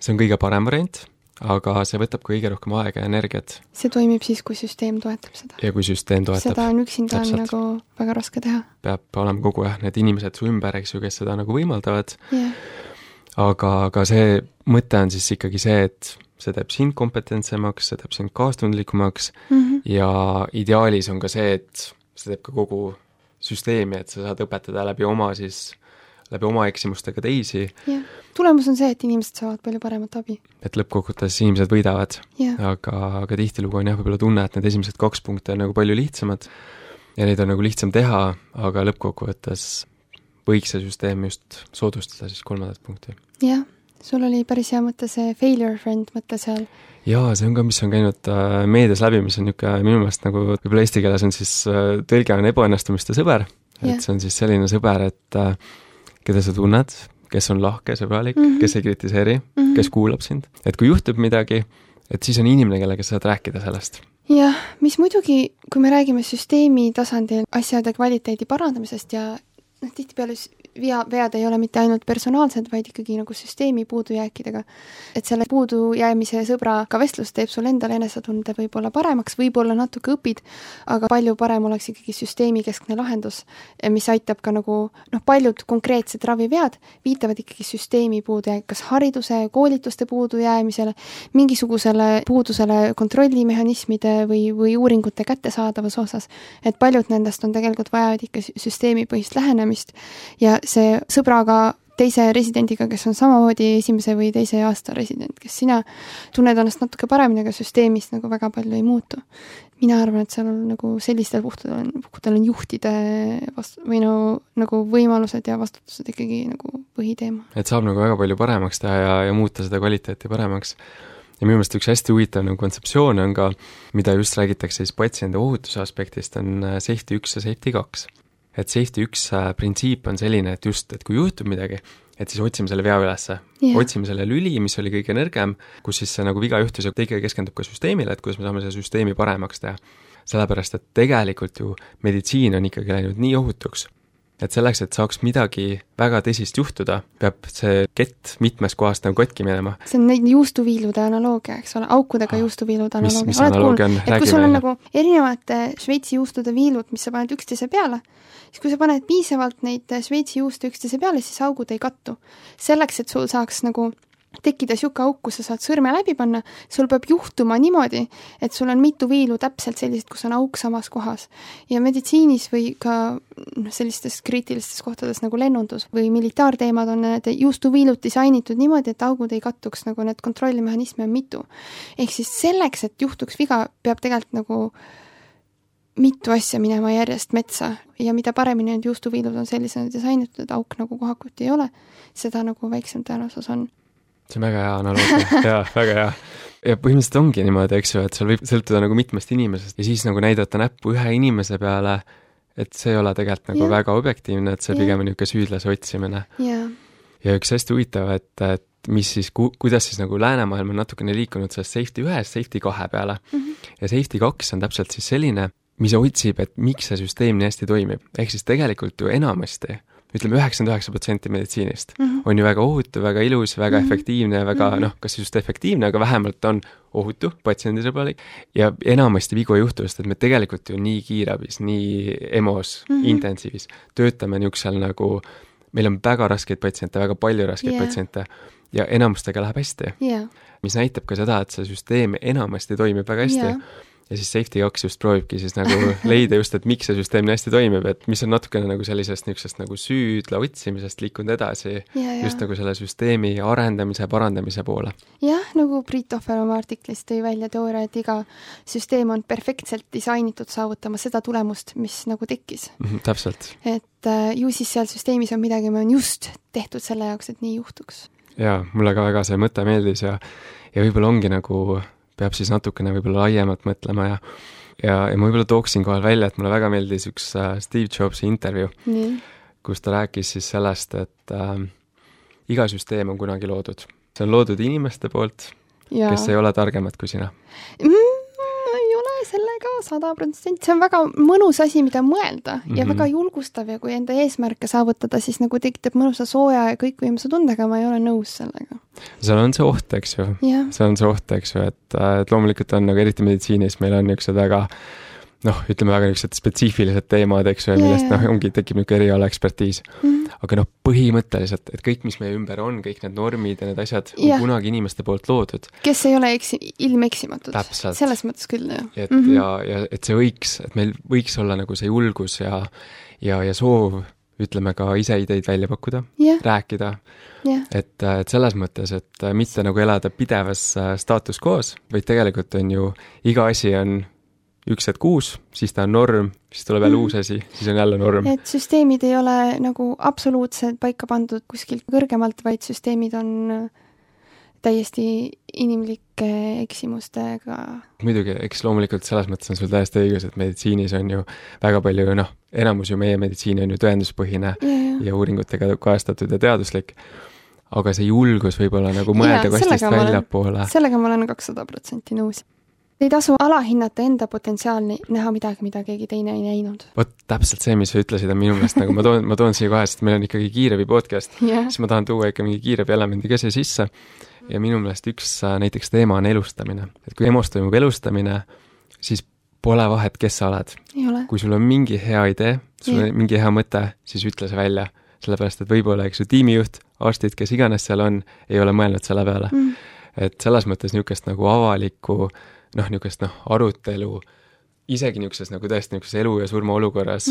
See on kõige parem variant, aga see võtab kõige rohkem aega ja energiat. See toimib siis, kui süsteem toetab seda. Ja kui süsteem toetab. Seda on üksinda on nagu väga raske teha. Peab olema kogu need inimesed su ümber, eks ju, kes seda nagu võimaldavad. Aga see mõte on siis ikkagi see, et see teeb sind kompetentsemaks, see teeb sind kaastundlikumaks ja ideaalis on ka see, et see teeb ka kogu süsteemi, et sa saad õpetada läbi oma eksimustega teisi. Tulemus on see, et inimesed saavad palju paremat abi. Et lõppkokkuvõttes inimesed võidavad, aga tihtilugu on võib-olla tunne, et need esimesed 2 punkte on nagu palju lihtsamad ja neid on nagu lihtsam teha, aga lõppkokkuvõttes võiks see süsteem just soodustada siis 3. punkti. Jah, sul oli päris hea mõte see failure friend mõte seal. Jaa, see on ka, mis on käinud meedias läbi, mis on niisugune minu meelest nagu võib-olla eesti keeles on siis tõlge on ebaõnnestumiste sõber, et see on siis selline sõber, et keda sa tunned, kes on lahke, sõbralik, kes ei kritiseeri, kes kuulab sind. Et kui juhtub midagi, et siis on inimene, kellega saad rääkida sellest. Jah, mis muidugi, kui me räägime süsteemi tasandil asjade kvaliteedi parandamisest ja tihtipeale vead ei ole mitte ainult personaalsed, vaid ikkagi nagu süsteemi puudujääkidega. Et selle puudujäämise sõbraga vestlus teeb sul endale enesetunde võib-olla paremaks, võib-olla natuke õpid, aga palju parem oleks ikkagi süsteemi keskne lahendus, mis aitab ka nagu, paljud konkreetsed ravivead viitavad ikkagi süsteemi puudujääk, kas hariduse, koolituste puudujäämisele, mingisugusele puudusele kontrollimehhanismide või uuringute kättesaadavas osas. Et paljud nendest on tegelikult vajavad ikka süsteemipõhist lähenemist ja see sõbraga teise residendiga, kes on samamoodi 1. või 2. aasta resident, kes sina tunned ennast natuke paremini, aga süsteemis nagu väga palju ei muutu. Mina arvan, et seal on nagu sellistel puhkudel on juhtide või nagu võimalused ja vastutused ikkagi nagu põhiteema. Et saab nagu väga palju paremaks teha ja muuta seda kvaliteeti paremaks. Ja minu meelest üks hästi huvitav nagu kontseptsioon on ka, mida just räägitakse siis patsiendi ohutuse aspektist, on safety 1 ja safety 2. Et safety 1 printsiip on selline, et just, et kui juhtub midagi, et siis otsime selle vea ülesse. Otsime selle lüli, mis oli kõige nõrgem, kus siis see nagu viga juhtus ja kõige keskendub ka süsteemile, et kuidas me saame selle süsteemi paremaks teha. Sellepärast, et tegelikult ju meditsiin on ikkagi läinud nii ohutuks, et selleks, et saaks midagi väga tõsist juhtuda, peab see kett mitmes kohast nagu katki minema. See on neid juustuviilude analoogia, eks ole, aukudega juustuviilude analoogia. Mis analoogia on? Et kui sul on nagu erinevate Šveitsi juustude viilud, mis sa paned üksteise peale, siis kui sa paned piisavalt neid Šveitsi juuste üksteise peale, siis augud ei kattu. Selleks, et sul saaks nagu tekkida siuke auk, kus sa saad sõrme läbi panna, sul peab juhtuma niimoodi, et sul on mitu viilu täpselt sellised, kus on auk samas kohas. Ja meditsiinis või ka sellistes kriitilistes kohtades nagu lennundus või militaarteemad on need juustuviilud disainitud niimoodi, et augud ei kattuks, nagu need kontrollimehhanisme on mitu. Ehk siis selleks, et juhtuks viga, peab tegelikult nagu mitu asja minema järjest metsa ja mida paremini need juustuviilud on sellisena disainitud, et auk nagu kohakuti ei ole, seda nagu väiksem tõenäosus on. See on väga hea analoogia, jaa, väga hea. Ja põhimõtteliselt ongi niimoodi, eks ju, et seal võib sõltuda nagu mitmest inimesest ja siis nagu näidata näppu ühe inimese peale, et see ei ole tegelikult nagu väga objektiivne, et see pigem on niisugune süüdlase otsimine. Ja üks hästi huvitav, et mis siis, kuidas siis nagu läänemaailm on natukene liikunud sellest safety 1, safety 2 peale. Ja safety 2 on täpselt siis selline, mis otsib, et miks see süsteem nii hästi toimib. Ehk siis tegelikult ju enamasti, ütleme 99% meditsiinist on ju väga ohutu, väga ilus, väga efektiivne ja väga, kas just efektiivne, aga vähemalt on ohutu, patsiendisõbralik ja enamasti vigu juhtuvast, et me tegelikult ju nii kiirabis, nii EMO-s, intensiivis töötame niisugusel nagu, meil on väga raskeid patsiente, väga palju raskeid patsiente ja enamustega läheb hästi. Mis näitab ka seda, et see süsteem enamasti toimib väga hästi. Ja siis Safety 2 just proovibki siis nagu leida just, et miks see süsteem nii hästi toimib, et mis on natukene nagu sellisest niisugusest nagu süüdla otsimisest liikunud edasi just nagu selle süsteemi arendamise, parandamise poole. Jah, nagu Priit Ohver oma artiklis tõi välja teooria, et iga süsteem on perfektselt disainitud saavutama seda tulemust, mis nagu tekkis. Täpselt. Et ju siis seal süsteemis on midagi, me on just tehtud selle jaoks, et nii juhtuks. Jaa, mulle ka väga see mõte meeldis ja võib-olla ongi nagu peab siis natukene võib-olla laiemalt mõtlema ja ma võib-olla tooksin kohal välja, et mulle väga meeldis üks Steve Jobsi intervju, kus ta rääkis siis sellest, et iga süsteem on kunagi loodud. See on loodud inimeste poolt, kes ei ole targemad kui sina. Ei ole sellega 100%. See on väga mõnus asi, mida mõelda ja väga julgustav ja kui enda eesmärke saavutada, siis nagu tekitab mõnusa sooja ja kõikvõimse tundega, ma ei ole nõus sellega. Seal on see oht, eks ju. See on see oht, eks ju, et loomulikult on nagu eriti meditsiinis, meil on niisugused väga ütleme väga niisugused spetsiifilised teemad, eks ju, millest ongi tekib niisugune eriala ekspertiis. Aga põhimõtteliselt, et kõik, mis meie ümber on, kõik need normid ja need asjad on kunagi inimeste poolt loodud. Kes ei ole ilmeksimatud. Täpselt. Selles mõttes küll, jah. Ja et see võiks, et meil võiks olla nagu see julgus ja soov, ütleme ka ise ideid välja pakkuda, rääkida. Et selles mõttes, et mitte nagu elada pidevas staatus quo's, vaid tegelikult on ju, iga asi on 1 kuus, siis ta on norm, siis tuleb jälle uus asi, siis on jälle norm. Et süsteemid ei ole nagu absoluutselt paika pandud kuskilt kõrgemalt, vaid süsteemid on täiesti inimlike eksimustega. Muidugi, eks loomulikult selles mõttes on sul täiesti õigus, et meditsiinis on ju väga palju, enamus ju meie meditsiin on ju tõenduspõhine ja uuringutega kajastatud ja teaduslik. Aga see julgus võib olla nagu mõelda kastist väljapoole. Sellega ma olen 200% nõus. Ei tasu alahinnata enda potentsiaalni näha midagi, mida keegi teine ei näinud. Vot täpselt see, mis sa ütlesid, on minu meelest, nagu ma toon siia kohe, sest meil on ikkagi kiirabi podcast, siis ma tahan tuua ikka mingi kiirabi elemendi ka siia sisse. Ja minu meelest üks näiteks teema on elustamine. Et kui EMO-s toimub elustamine, siis pole vahet, kes sa oled. Kui sul on mingi hea idee, sul on mingi hea mõte, siis ütle see välja. Sellepärast, et võib-olla, eks ju, tiimijuht, arstid, kes iganes seal on, ei ole mõelnud selle peale. Et selles mõttes niisugust nagu avalikku niisugust arutelu, isegi niisuguses nagu tõesti niisuguses elu ja surma olukorras,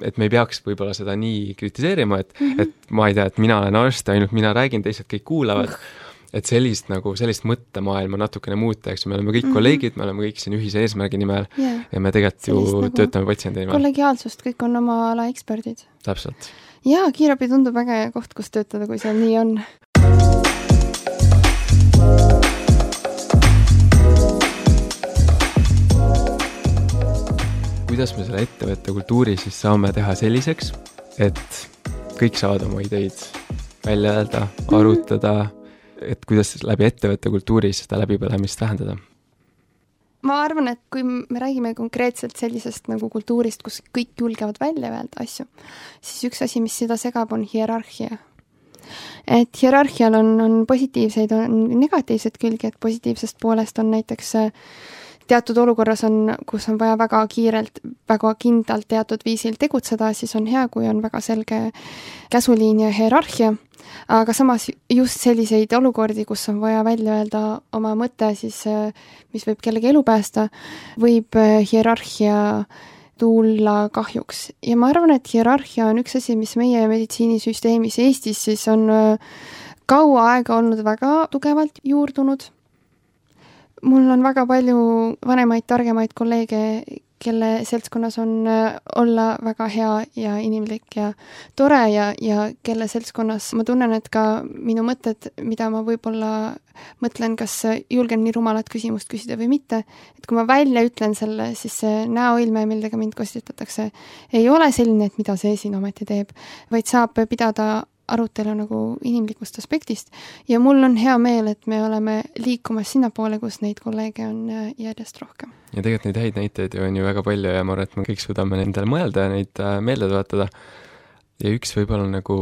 et me ei peaks võib-olla seda nii kritiseerima, et ma ei tea, et mina olen arst, ainult mina räägin, teised kõik kuulavad, et sellist mõttemaailma natukene muuta, eks me oleme kõik kolleegid, me oleme kõik siin ühise eesmärgi nimel ja me tegelikult ju töötame patsiendi nimel. Kollegiaalsust, kõik on oma ala eksperdid. Täpselt. Ja kiirabi tundub väga hea koht, kus töötada, kui seal nii on. Kuidas me selle ettevõtte kultuuri siis saame teha selliseks, et kõik saavad oma ideid välja öelda, arutada, et kuidas läbi ettevõtte kultuuri seda läbipõlemist vähendada? Ma arvan, et kui me räägime konkreetselt sellisest nagu kultuurist, kus kõik julgevad välja öelda asju, siis üks asi, mis seda segab, on hierarhia. Et hierarhial on positiivseid, on negatiivsed külgi, et positiivsest poolest on näiteks teatud olukorras on, kus on vaja väga kiirelt, väga kindlalt teatud viisil tegutseda, siis on hea, kui on väga selge käsuliin ja hierarhia, aga samas just selliseid olukordi, kus on vaja välja öelda oma mõte, siis mis võib kellegi elu päästa, võib hierarhia tulla kahjuks. Ja ma arvan, et hierarhia on üks asi, mis meie meditsiinisüsteemis Eestis siis on kaua aega olnud väga tugevalt juurdunud. Mul on väga palju vanemaid, targemaid kolleege, kelle seltskonnas on olla väga hea ja inimlik ja tore ja kelle seltskonnas ma tunnen, et ka minu mõtted, mida ma võib-olla mõtlen, kas julgen nii rumalat küsimust küsida või mitte, et kui ma välja ütlen selle, siis see näoilme, millega mind kostitatakse, ei ole selline, et mida see siin ometi teeb, vaid saab pidada arutelu nagu inimlikust aspektist ja mul on hea meel, et me oleme liikumas sinna poole, kus neid kolleege on järjest rohkem. Ja tegelikult neid häid näiteid on ju väga palju ja ma arvan, et me kõik suudame nendele mõelda ja neid meelde tuletada. Ja üks võib-olla nagu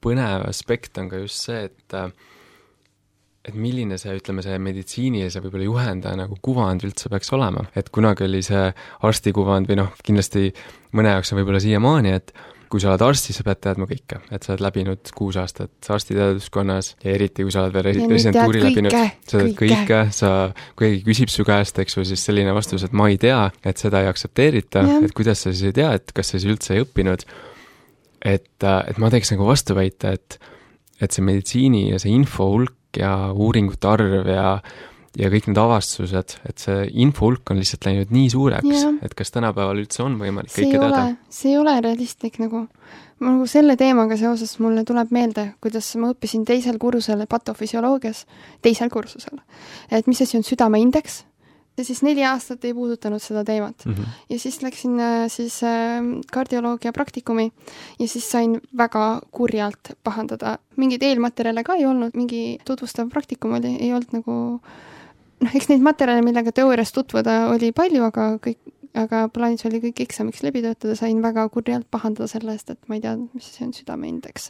põnev aspekt on ka just see, et milline see, ütleme, see meditsiinilise võib-olla juhendaja nagu kuvand üldse peaks olema. Et kunagi oli see arstikuvand või kindlasti mõne jaoks on võib-olla siiamaani, et kui sa oled arsti, sa pead teadma kõike, et sa oled läbinud 6 aastat arstiteaduskonnas ja eriti kui sa oled veel residentuuri läbinud, sa tead kõike, kui keegi küsib su käest, eks ju, siis selline vastus, et ma ei tea, et seda ei aktsepteerita, et kuidas sa siis ei tea, et kas sa siis üldse ei õppinud. Et ma teeks nagu vastuväita, et see meditsiini ja see info hulk ja uuringute arv ja kõik need avastused, et see info hulk on lihtsalt läinud nii suureks, et kas tänapäeval üldse on võimalik kõike teada? See ei ole realistlik nagu selle teemaga seoses mulle tuleb meelde, kuidas ma õppisin teisel kursusel patofüsioloogias, et mis asi on südameindeks, ja siis 4 aastat ei puudutanud seda teemat. Ja siis läksin kardioloogia praktikumi ja siis sain väga kurjalt pahandada. Mingid eelmaterjale ka ei olnud, mingi tutvustav praktikum oli, ei olnud nagu eks neid materjale, millega teoorias tutvuda oli palju, aga plaanis oli kõik eksamiks läbi töötada, sain väga kurjalt pahandada selle eest, et ma ei tea, mis see on südameindeks.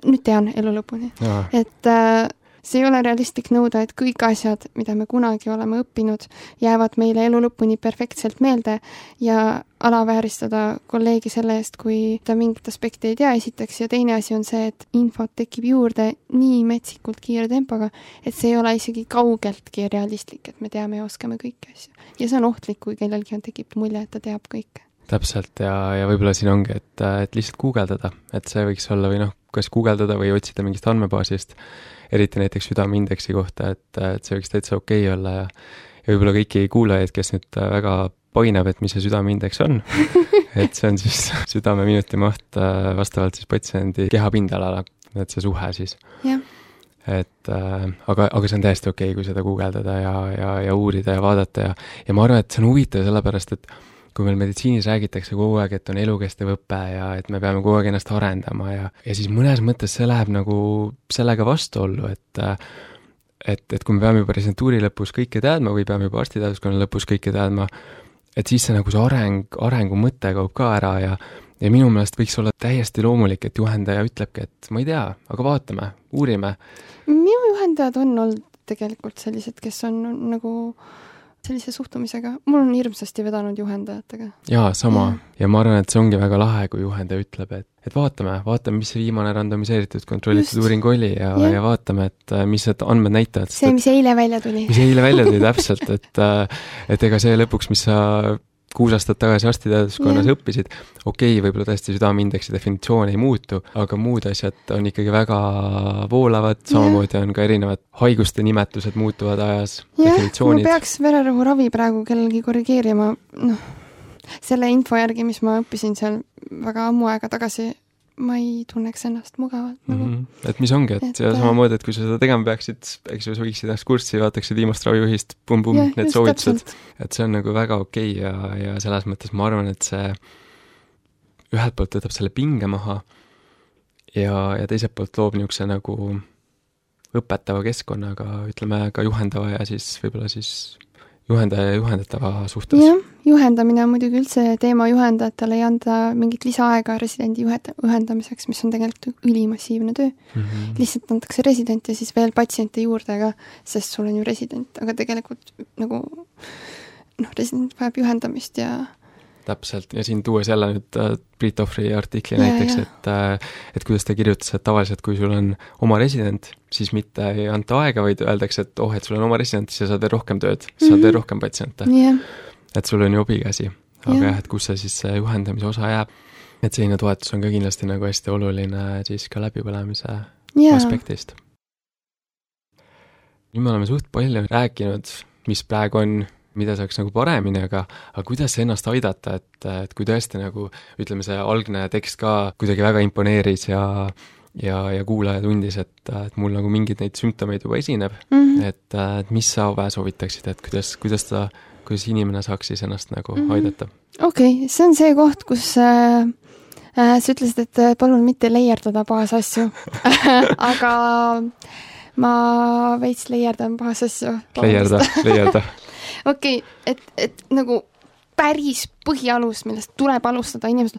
Nüüd tean elu lõpuni. Et see ei ole realistlik nõuda, et kõik asjad, mida me kunagi oleme õppinud, jäävad meile elu lõpuni perfektselt meelde ja alavääristada kolleegi selle eest, kui ta mingit aspekti ei tea esiteks ja teine asi on see, et infot tekib juurde nii metsikult kiire tempoga, et see ei ole isegi kaugeltki realistlik, et me teame ja oskame kõiki asju. Ja see on ohtlik, kui kellelgi tekib mulje, et ta teab kõike. Täpselt ja võib-olla siin ongi, et lihtsalt guugeldada, et see võiks olla või kas guugeldada või otsida mingist andmebaasist, eriti näiteks südameindeksi kohta, et see võiks täitsa okei olla ja võib-olla kõiki kuulajaid, kes nüüd väga painab, et mis see südameindeks on, et see on siis südame minutimaht vastavalt siis patsiendi kehapindalale, et see suhe siis. Et aga see on täiesti okei, kui seda guugeldada ja uurida ja vaadata ja ma arvan, et see on huvitav sellepärast, et kui meil meditsiinis räägitakse kogu aeg, et on elukestev õpe ja et me peame kogu aeg ennast arendama ja siis mõnes mõttes see läheb nagu sellega vastuollu, et kui me peame juba residentuuri lõpus kõike teadma või peame juba arstiteaduskonna lõpus kõike teadma, et siis see nagu see arengu mõte kaob ka ära ja minu meelest võiks olla täiesti loomulik, et juhendaja ütlebki, et ma ei tea, aga vaatame, uurime. Minu juhendajad on olnud tegelikult sellised, kes on nagu sellise suhtumisega. Mul on hirmsasti vedanud juhendajatega. Jaa, sama. Ja ma arvan, et see ongi väga lahe, kui juhendaja ütleb, et vaatame, mis see viimane randomiseeritud kontrollitud uuring oli ja vaatame, et mis need andmed näitavad. See, mis eile välja tuli. Mis eile välja tuli täpselt, et ega see lõpuks, mis sa 6 aastat tagasi arstiteaduskonnas õppisid, okei, võib-olla tõesti südameindeksi definitsioon ei muutu, aga muud asjad on ikkagi väga voolavad, samamoodi on ka erinevad haiguste nimetused muutuvad ajas, definitsioonid. Ma peaks vererõhuravi praegu kellelgi korrigeerima, selle info järgi, mis ma õppisin seal väga ammu aega tagasi, ma ei tunneks ennast mugavalt. Et mis ongi, et samamoodi, et kui sa seda tegema peaksid, eks ju, sa võiksid ennast kurssi, vaataksid viimast ravijuhist, need soovitused, et see on nagu väga okei ja selles mõttes ma arvan, et see ühelt poolt võtab selle pinge maha ja teiselt poolt loob niisuguse nagu õpetava keskkonnaga, ütleme ka juhendava ja siis võib-olla siis juhendaja ja juhendatava suhtes. Jah, juhendamine on muidugi üldse teema juhendajatele ei anda mingit lisaaega residendi juhendamiseks, mis on tegelikult ülimassiivne töö. Lihtsalt antakse resident ja siis veel patsiente juurde, sest sul on ju resident, aga tegelikult nagu resident vajab juhendamist ja täpselt, ja siin tuues jälle nüüd Priit Tohvri artikli näiteks, et kuidas ta kirjutas, et tavaliselt kui sul on oma resident, siis mitte ei anta aega, vaid öeldakse, et et sul on oma resident, siis sa saad veel rohkem tööd, saad veel rohkem patsiente. Et sul on ju obikäsi. Aga jah, et kus see juhendamise osa jääb. Et selline toetus on ka kindlasti nagu hästi oluline siis ka läbipõlemise aspektist. Nüüd me oleme suht palju rääkinud, mis praegu on, mida saaks nagu paremini, aga kuidas ennast aidata, et kui tõesti nagu, ütleme, see algne tekst ka kuidagi väga imponeeris ja kuulaja tundis, et mul nagu mingid neid sümptomeid juba esineb, et mis sa soovitaksid, et kuidas inimene saaks siis ennast nagu aidata? Okei, see on see koht, kus sa ütlesid, et palun mitte leierdada pahas asju, aga ma veits leierdan pahas asju. Leierda. Okei, et nagu päris põhialus, millest tuleb alustada inimesed,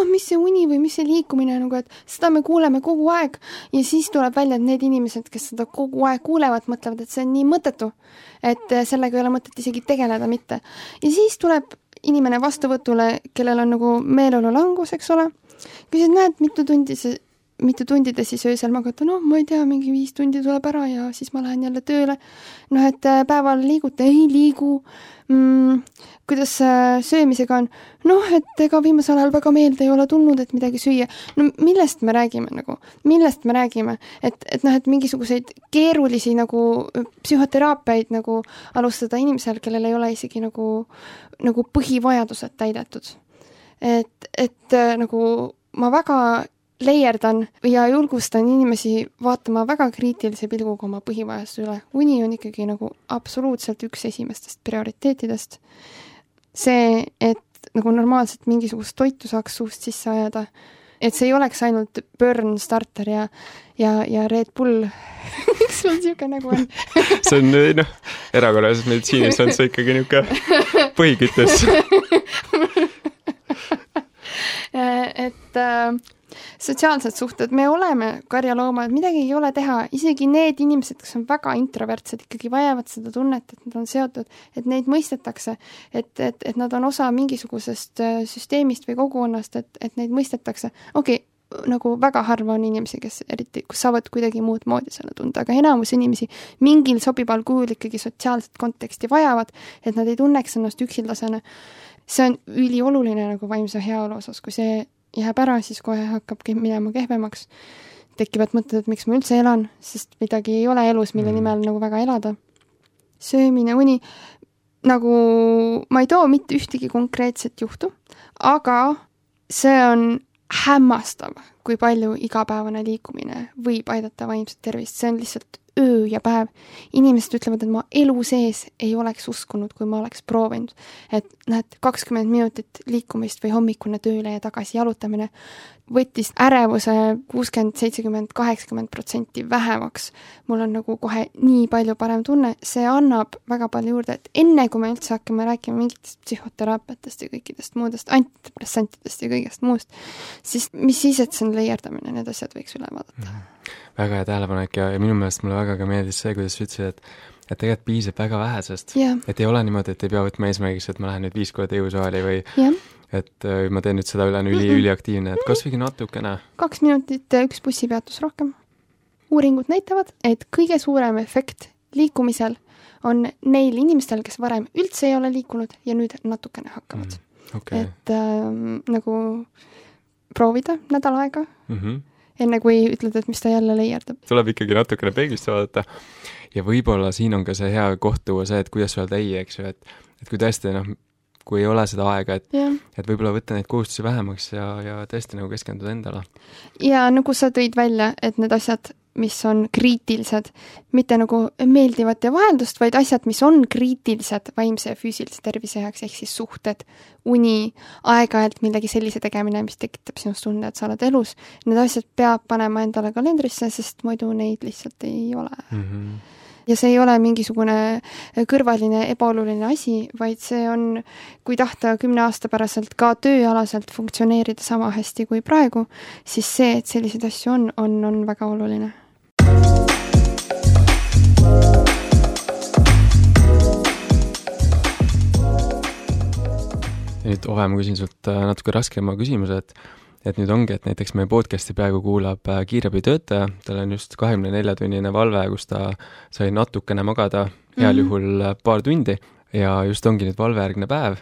mis see uni või mis see liikumine, nagu, et seda me kuuleme kogu aeg ja siis tuleb välja, et need inimesed, kes seda kogu aeg kuulevad, mõtlevad, et see on nii mõttetu, et sellega ei ole mõtet isegi tegeleda mitte. Ja siis tuleb inimene vastuvõtule, kellel on nagu meeleolu langus, eks ole, küsid, näed, mitu tundi te siis öösel magate, ma ei tea, mingi 5 tundi tuleb ära ja siis ma lähen jälle tööle. Et päeval liigute, ei liigu. Kuidas söömisega on? Et ega viimasel ajal väga meelde ei ole tulnud, et midagi süüa. Millest me räägime nagu? Millest me räägime? Et mingisuguseid keerulisi nagu psühhoteraapiaid nagu alustada inimesel, kellel ei ole isegi nagu põhivajadused täidetud. Et nagu ma väga leierdan ja julgustan inimesi vaatama väga kriitilise pilguga oma põhivajaduste üle. Uni on ikkagi nagu absoluutselt üks esimestest prioriteetidest. See, et nagu normaalselt mingisugust toitu saaks suust sisse ajada, et see ei oleks ainult Burn Starter ja Red Bull. Miks sul siuke nagu on? See on, erakorralises meditsiinis on see ikkagi niuke põhikütus. Et sotsiaalsed suhted, me oleme karjaloomad, midagi ei ole teha, isegi need inimesed, kes on väga introvertsed, ikkagi vajavad seda tunnet, et nad on seotud, et neid mõistetakse, et nad on osa mingisugusest süsteemist või kogukonnast, et neid mõistetakse. Okei, nagu väga harva on inimesi, kes eriti, kus saavad kuidagi muud moodi selle tunda, aga enamus inimesi mingil sobival kujul ikkagi sotsiaalset konteksti vajavad, et nad ei tunneks ennast üksildasena. See on ülioluline nagu vaimse heaolu osas, kui see jääb ära, siis kohe hakkab minema kehvemaks. Tekivad mõtted, et miks ma üldse elan, sest midagi ei ole elus, mille nimel nagu väga elada. Söömine, uni, nagu ma ei too mitte ühtegi konkreetset juhtu, aga see on hämmastav, kui palju igapäevane liikumine võib aidata vaimset tervist. See on lihtsalt öö ja päev. Inimesed ütlevad, et ma elu sees ei oleks uskunud, kui ma oleks proovinud. Et 20 minutit liikumist või hommikune tööle ja tagasi jalutamine võttis ärevuse 60, 70, 80% vähemaks. Mul on nagu kohe nii palju parem tunne. See annab väga palju juurde, et enne kui me üldse hakkame rääkima mingitest psühhoteraapiatest ja kõikidest muudest antidepressantidest ja kõigest muust, siis mis siis, et see on leierdamine, need asjad võiks üle vaadata. Väga hea tähelepanek ja minu meelest mulle väga ka meeldis see, kuidas sa ütlesid, et tegelikult piisab väga vähesest. Et ei ole niimoodi, et ei pea võtma eesmärgiks, et ma lähen nüüd 5 korda jõusaali või et ma teen nüüd seda üliaktiivne, et kas võigi natukene? 2 minutit, 1 bussipeatus rohkem. Uuringud näitavad, et kõige suurem efekt liikumisel on neil inimestel, kes varem üldse ei ole liikunud ja nüüd natukene hakkavad. Et nagu proovida nädal aega, enne kui ütled, et mis ta jälle leierdab. Tuleb ikkagi natukene peeglist vaadata ja võib-olla siin on ka see hea koht tuua see, et kuidas öelda ei, eks ju, et kui tõesti, kui ei ole seda aega, et võib-olla võtta neid kohustusi vähemaks ja tõesti nagu keskenduda endale. Ja nagu sa tõid välja, et need asjad, mis on kriitilised, mitte nagu meeldivat ja vaheldust, vaid asjad, mis on kriitilised vaimse ja füüsilise tervise heaks, ehk siis suhted, uni, aeg-ajalt millegi sellise tegemine, mis tekitab sinust tunde, et sa oled elus. Need asjad peab panema endale kalendrisse, sest muidu neid lihtsalt ei ole. Ja see ei ole mingisugune kõrvaline ebaoluline asi, vaid see on, kui tahta 10 aasta päraselt ka tööalaselt funktsioneerida sama hästi kui praegu, siis see, et selliseid asju on väga oluline. Ja nüüd, Ove, ma küsin sult natuke raskema küsimuse, et nüüd ongi, et näiteks meie podcasti peaaegu kuulab kiirabitöötaja, tal on just 24-tunnine valve, kus ta sai natukene magada, heal juhul paar tundi ja just ongi nüüd valvejärgne päev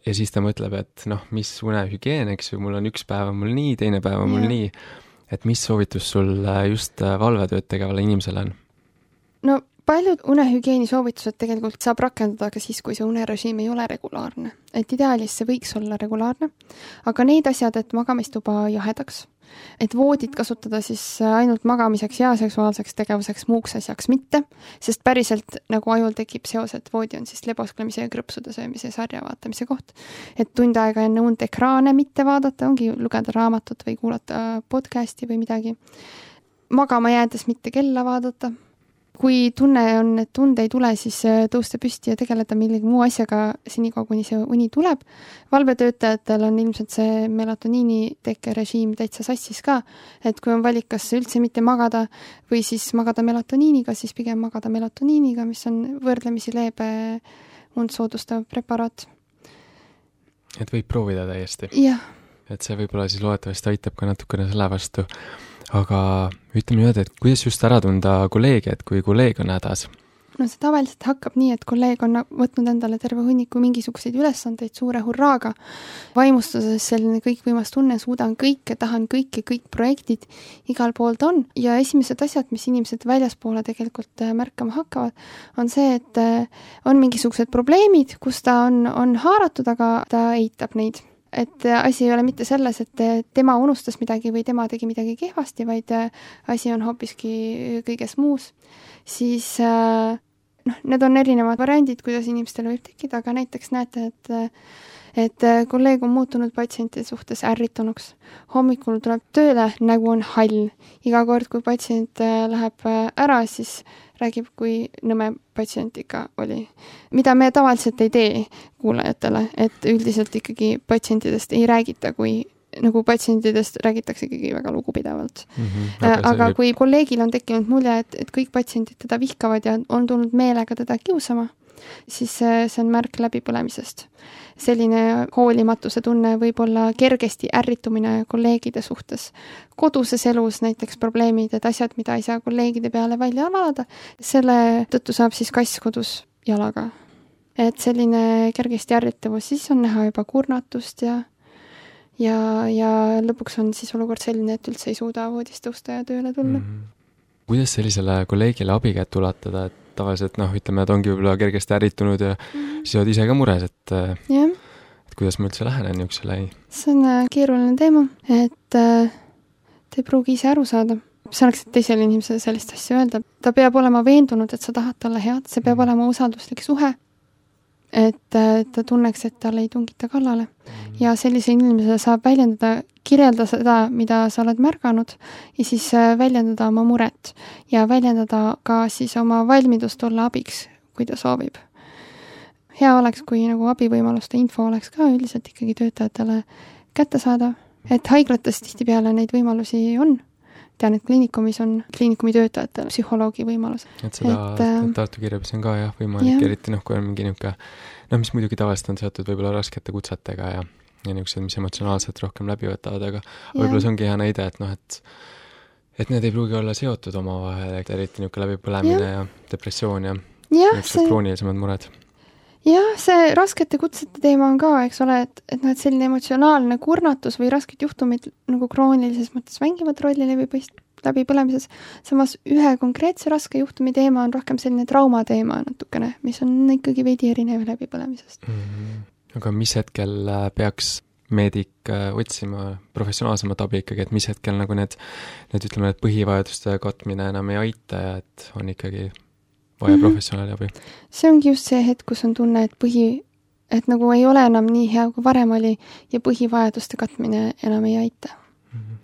ja siis ta mõtleb, et noh, mis unehügieen, eks ju, mul on üks päev on mul nii, teine päev on mul nii, et mis soovitus sul just valvetööd tegevale inimesele on? No paljud unehügieeni soovitused tegelikult saab rakendada ka siis, kui see unerežiim ei ole regulaarne. Et ideaalis see võiks olla regulaarne, aga need asjad, et magamistuba jahedaks, et voodit kasutada siis ainult magamiseks ja seksuaalseks tegevuseks, muuks asjaks mitte, sest päriselt nagu ajul tekib seos, et voodi on siis lebosklemise ja krõpsude söömise sarja vaatamise koht. Et tund aega enne und ekraane mitte vaadata, ongi lugeda raamatut või kuulata podcasti või midagi. Magama jäädes mitte kella vaadata. Kui tunne on, et tund ei tule, siis tõusta püsti ja tegeleda millegi muu asjaga senikaua, kuni see uni tuleb. Valvetöötajatel on ilmselt see melatoniini tekkerežiim täitsa sassis ka, et kui on valik, kas üldse mitte magada või siis magada melatoniiniga, siis pigem magada melatoniiniga, mis on võrdlemisi leebe und soodustav preparaat. Et võib proovida täiesti. Jah. Et see võib-olla siis loodetavasti aitab ka natukene selle vastu. Aga ütleme nüüd, et kuidas just ära tunda kolleegi, et kui kolleeg on hädas? No see tavaliselt hakkab nii, et kolleeg on võtnud endale terve hunniku mingisuguseid ülesandeid suure hurraaga. Vaimustuses selline kõikvõimas tunne, suudan kõike, tahan kõik projektid igal poolt on. Ja esimesed asjad, mis inimesed väljaspoole tegelikult märkama hakkavad, on see, et on mingisugused probleemid, kus ta on haaratud, aga ta eitab neid. Et asi ei ole mitte selles, et tema unustas midagi või tema tegi midagi kehvasti, vaid asi on hoopiski kõiges muus. Siis need on erinevad variandid, kuidas inimestele võib tekkida, aga näiteks näete, et kolleeg on muutunud patsientide suhtes ärritunuks. Hommikul tuleb tööle, nägu on hall. Iga kord, kui patsient läheb ära, siis räägib, kui nõme patsient ikka oli. Mida me tavaliselt ei tee kuulajatele, et üldiselt ikkagi patsientidest ei räägita, kui nagu patsientidest räägitakse ikkagi väga lugupidavalt. Aga kui kolleegil on tekkinud mulje, et kõik patsientid teda vihkavad ja on tulnud meelega teda kiusama, siis see on märk läbipõlemisest. Selline hoolimatuse tunne võib olla kergesti ärritumine kolleegide suhtes. Koduses elus näiteks probleemid, et asjad, mida ei saa kolleegide peale välja valada, selle tõttu saab siis kass kodus jalaga. Et selline kergesti ärritavus, siis on näha juba kurnatust ja lõpuks on siis olukord selline, et üldse ei suuda voodist tõusta ja tööle tulla. Kuidas sellisele kolleegile abikätt ulatada, et tavaliselt ütleme, et ongi võib-olla kergesti ärritunud ja siis oled ise ka mures, et kuidas ma üldse lähenen niisugusele? See on keeruline teema, et te ei pruugi ise aru saada. See oleks teisele inimesele sellist asja öelda. Ta peab olema veendunud, et sa tahad talle head, see peab olema usalduslik suhe, et ta tunneks, et talle ei tungita kallale. Ja sellise inimesele saab väljendada, kirjelda seda, mida sa oled märganud ja siis väljendada oma muret ja väljendada ka siis oma valmidust olla abiks, kui ta soovib. Hea oleks, kui nagu abivõimaluste info oleks ka üldiselt ikkagi töötajatele kättesaadav, et haiglates tihtipeale neid võimalusi on. Tean, et kliinikumis on kliinikumi töötajatele psühholoogi võimalus. Et seda Tartu kiirabis on ka võimalik, eriti kui on mingi niisugune, mis muidugi tavaliselt on seotud võib-olla raskete kutsetega ja niisugused, mis emotsionaalselt rohkem läbi võtavad, aga võib-olla see ongi hea näide, et need ei pruugi olla seotud omavahel, eriti niisugune läbipõlemine ja depressioon ja niisugused kroonilisemad mured. Jah, see raskete kutsete teema on ka, eks ole, et selline emotsionaalne kurnatus või rasked juhtumid nagu kroonilises mõttes mängivad rolli läbipõlemises. Samas ühe konkreetse raske juhtumi teema on rohkem selline trauma teema natukene, mis on ikkagi veidi erinev läbipõlemisest. Aga mis hetkel peaks meedik otsima professionaalsemat abi ikkagi, et mis hetkel nagu need ütleme, et põhivajaduste katmine enam ei aita ja et on ikkagi vaja professionaali abi? See ongi just see hetk, kus on tunne, et nagu ei ole enam nii hea, kui varem oli ja põhivajaduste katmine enam ei aita.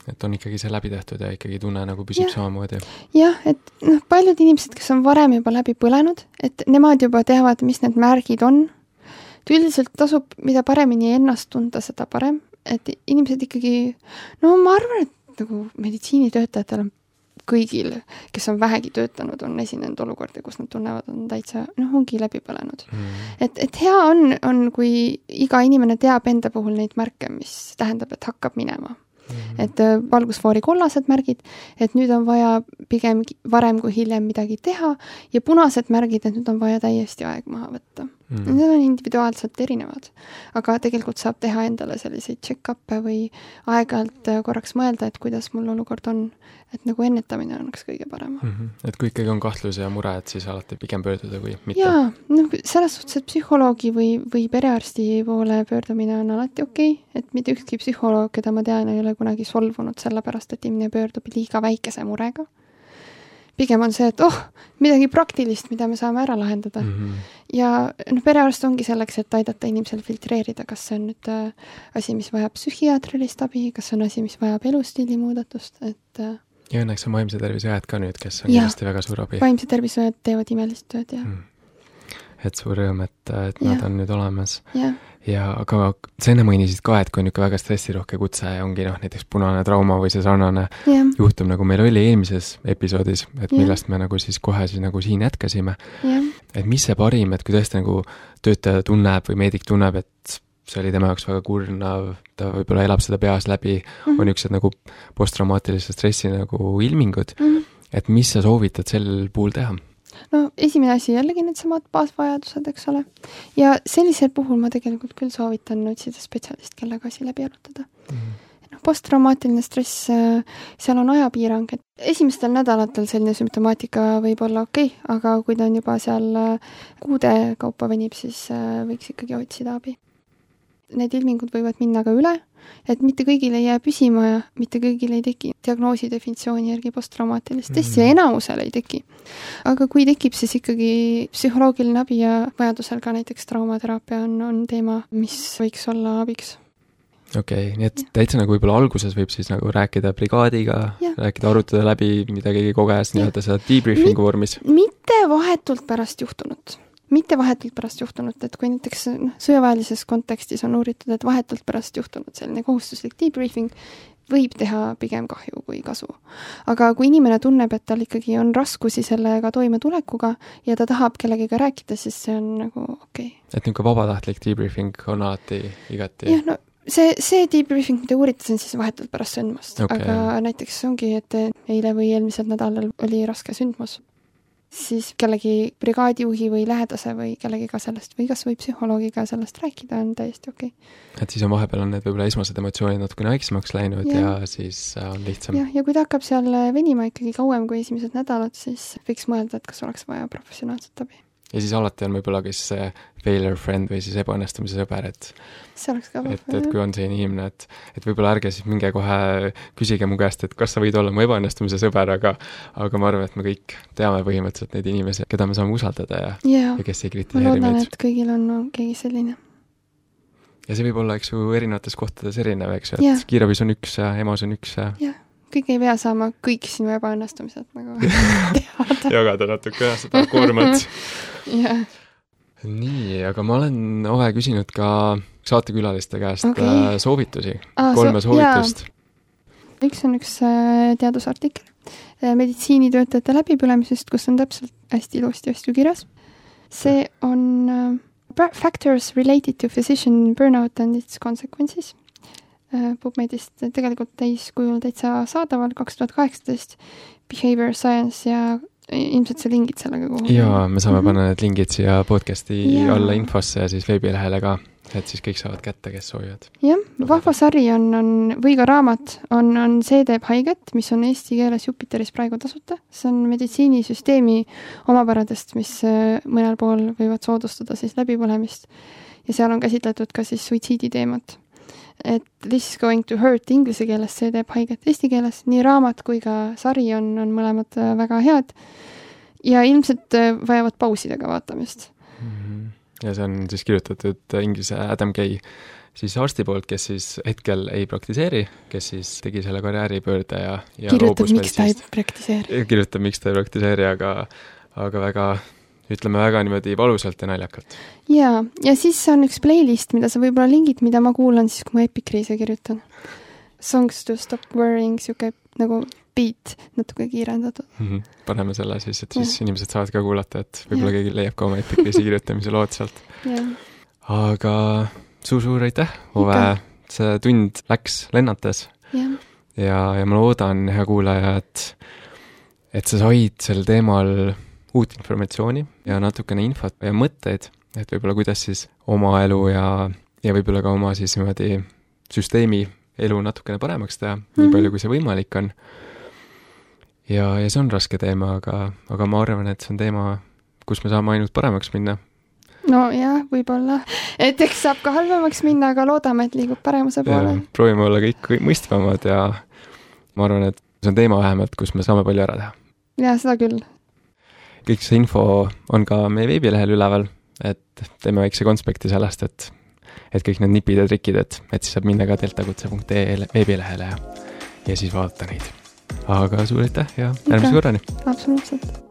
Et on ikkagi see läbi tehtud ja ikkagi tunne nagu püsib samamoodi. Jah, et paljud inimesed, kes on varem juba läbi põlenud, et nemad juba teavad, mis need märgid on. Üldiselt tasub, mida paremini ennast tunda, seda parem. Et inimesed ikkagi, ma arvan, et nagu meditsiinitöötajatel on kõigil, kes on vähegi töötanud, on esinenud olukordi, kus nad tunnevad, on täitsa, ongi läbi põlenud. Et hea on, kui iga inimene teab enda puhul neid märke, mis tähendab, et hakkab minema. Et valgusfoori kollased märgid, et nüüd on vaja pigem varem kui hiljem midagi teha ja punased märgid, et nüüd on vaja täiesti aeg maha võtta. Need on individuaalselt erinevad, aga tegelikult saab teha endale selliseid check-up'e või aeg-ajalt korraks mõelda, et kuidas mul olukord on, et nagu ennetamine oleks kõige parem. Et kui ikkagi on kahtlus ja mure, et siis alati pigem pöörduda kui mitte? Jaa, selles suhtes, et psühholoogi või perearsti poole pöördumine on alati okei, et mitte ükski psühholoog, keda ma tean, ei ole kunagi solvunud sellepärast, et inimene pöördub liiga väikese murega. Pigem on see, et midagi praktilist, mida me saame ära lahendada. Ja perearst ongi selleks, et aidata inimesel filtreerida, kas see on nüüd asi, mis vajab psühhiaatrilist abi, kas see on asi, mis vajab elustiili muudatust, et ja õnneks on vaimse tervise õed ka nüüd, kes on kindlasti väga suur abi. Vaimse tervise õed teevad imelist tööd, jah. Et suur rõõm, et nad on nüüd olemas. Ja, aga sa enne mainisid ka, et kui on niisugune väga stressirohke kutse ja ongi näiteks punane trauma või see sarnane juhtum, nagu meil oli eelmises episoodis, et millest me nagu siis kohe siis nagu siin jätkasime. Et mis see parim, et kui tõesti nagu töötaja tunneb või meedik tunneb, et see oli tema jaoks väga kurnav, ta võib-olla elab seda peas läbi, on niisugused nagu posttraumaatilise stressi nagu ilmingud, et mis sa soovitad sel puhul teha? Esimene asi jällegi need samad baasvajadused, eks ole. Ja sellisel puhul ma tegelikult küll soovitan otsida spetsialist, kellega asi läbi arutada. Posttraumaatiline stress, seal on ajapiirang, et esimestel nädalatel selline sümptomaatika võib olla okei, aga kui ta on juba seal kuude kaupa venib, siis võiks ikkagi otsida abi. Need ilmingud võivad minna ka üle, et mitte kõigil ei jää püsima ja mitte kõigil ei teki diagnoosi definitsiooni järgi posttraumaatilist stressi ja enamusel ei teki. Aga kui tekib, siis ikkagi psühholoogiline abi ja vajadusel ka näiteks traumateraapia on teema, mis võiks olla abiks. Okei, nii et täitsa nagu võib-olla alguses võib siis nagu rääkida brigaadiga, rääkida, arutada läbi, mida keegi koges, nii-öelda seda debriefingu vormis. Mitte vahetult pärast juhtunut. Mitte vahetult pärast juhtunut, et kui näiteks sõjaväelises kontekstis on uuritud, et vahetult pärast juhtunud selline kohustuslik debriefing võib teha pigem kahju kui kasu. Aga kui inimene tunneb, et tal ikkagi on raskusi sellega toimetulekuga ja ta tahab kellegiga rääkida, siis see on nagu okei. Et niisugune vabatahtlik debriefing on alati igati? Jah, see debriefing, mida uuritas, on siis vahetult pärast sündmust. Aga näiteks ongi, et eile või eelmisel nädalal oli raske sündmus. Siis kellegi brigaadijuhi või lähedase või kellegiga sellest või kas või psühholoogiga sellest rääkida on täiesti okei. Et siis on vahepeal on need võib-olla esmased emotsioonid natukene väiksemaks läinud ja siis on lihtsam. Ja kui ta hakkab seal venima ikkagi kauem kui esimesed nädalad, siis võiks mõelda, et kas oleks vaja professionaalset abi. Ja siis alati on võib-olla kes failure friend või siis ebaõnnestumise sõber, et see oleks ka et kui on see inimene, et võib-olla ärge siis minge kohe küsige mu käest, et kas sa võid olla mu ebaõnnestumise sõber, aga ma arvan, et me kõik teame põhimõtteliselt neid inimesi, keda me saame usaldada ja kes ei kritiseeri meid. Ma loodan, et kõigil on keegi selline. Ja see võib olla, eks ju, erinevates kohtades erinev, eks ju, et kiirabis on üks ja EMO-s on üks ja kõik ei pea saama kõik sinu ebaõnnestumised nagu teada. Jagada natuke seda koormat. Nii, aga ma olen Ove küsinud ka saatekülaliste käest soovitusi, 3 soovitust. Üks on üks teadusartikkel meditsiinitöötajate läbipõlemisest, kus on täpselt hästi ilusti asju kirjas. See on Factors related to physician burnout and its consequences. PubMedist tegelikult täiskujul täitsa saadaval 2018 Behavior Science ja ilmselt see lingid sellega kuhu. Jaa, me saame panna need lingid siia podcasti alla infosse ja siis veebilehele ka, et siis kõik saavad kätte, kes soovivad. Jah, vahva sari on või ka raamat on See teeb haiget, mis on eesti keeles Jupiteris praegu tasuta. See on meditsiinisüsteemi omapäradest, mis mõnel pool võivad soodustada siis läbipõlemist ja seal on käsitletud ka siis suitsiidi teemat. Et this is going to hurt inglise keeles, see teeb haiget eesti keeles. Nii raamat kui ka sari on mõlemad väga head ja ilmselt vajavad pausidega vaatamist. Ja see on siis kirjutatud inglise Adam Kay siis arsti poolt, kes siis hetkel ei praktiseeri, kes siis tegi selle karjääripöörde ja kirjutab, miks ta ei praktiseeri. Kirjutab, miks ta ei praktiseeri, aga väga ütleme väga niimoodi valusalt ja naljakalt. Ja siis on üks playlist, mida sa võib-olla lingid, mida ma kuulan siis, kui ma Epikriise kirjutan. Songs to stop worrying, siuke nagu beat natuke kiirendatud. Paneme selle siis, et siis inimesed saavad ka kuulata, et võib-olla keegi leiab ka oma epikriisi kirjutamise lood sealt. Aga suur aitäh, Ove, see tund läks lennates ja ma loodan, hea kuulaja, et sa said sel teemal uut informatsiooni ja natukene infot ja mõtteid, et võib-olla kuidas siis oma elu ja võib-olla ka oma siis niimoodi süsteemi elu natukene paremaks teha, nii palju kui see võimalik on. Ja see on raske teema, aga ma arvan, et see on teema, kus me saame ainult paremaks minna. No jah, võib-olla. Et eks saab ka halvemaks minna, aga loodame, et liigub paremuse poole. Proovime olla kõik mõistvamad ja ma arvan, et see on teema vähemalt, kus me saame palju ära teha. Ja, seda küll. Kõik see info on ka meie veebilehel üleval, et teeme väikse konspekti sellest, et kõik need nipid ja trikid, et siis saab minna ka deltakutse.ee veebilehele ja siis vaadata neid. Aga suur aitäh ja järgmise korrani! Absoluutselt!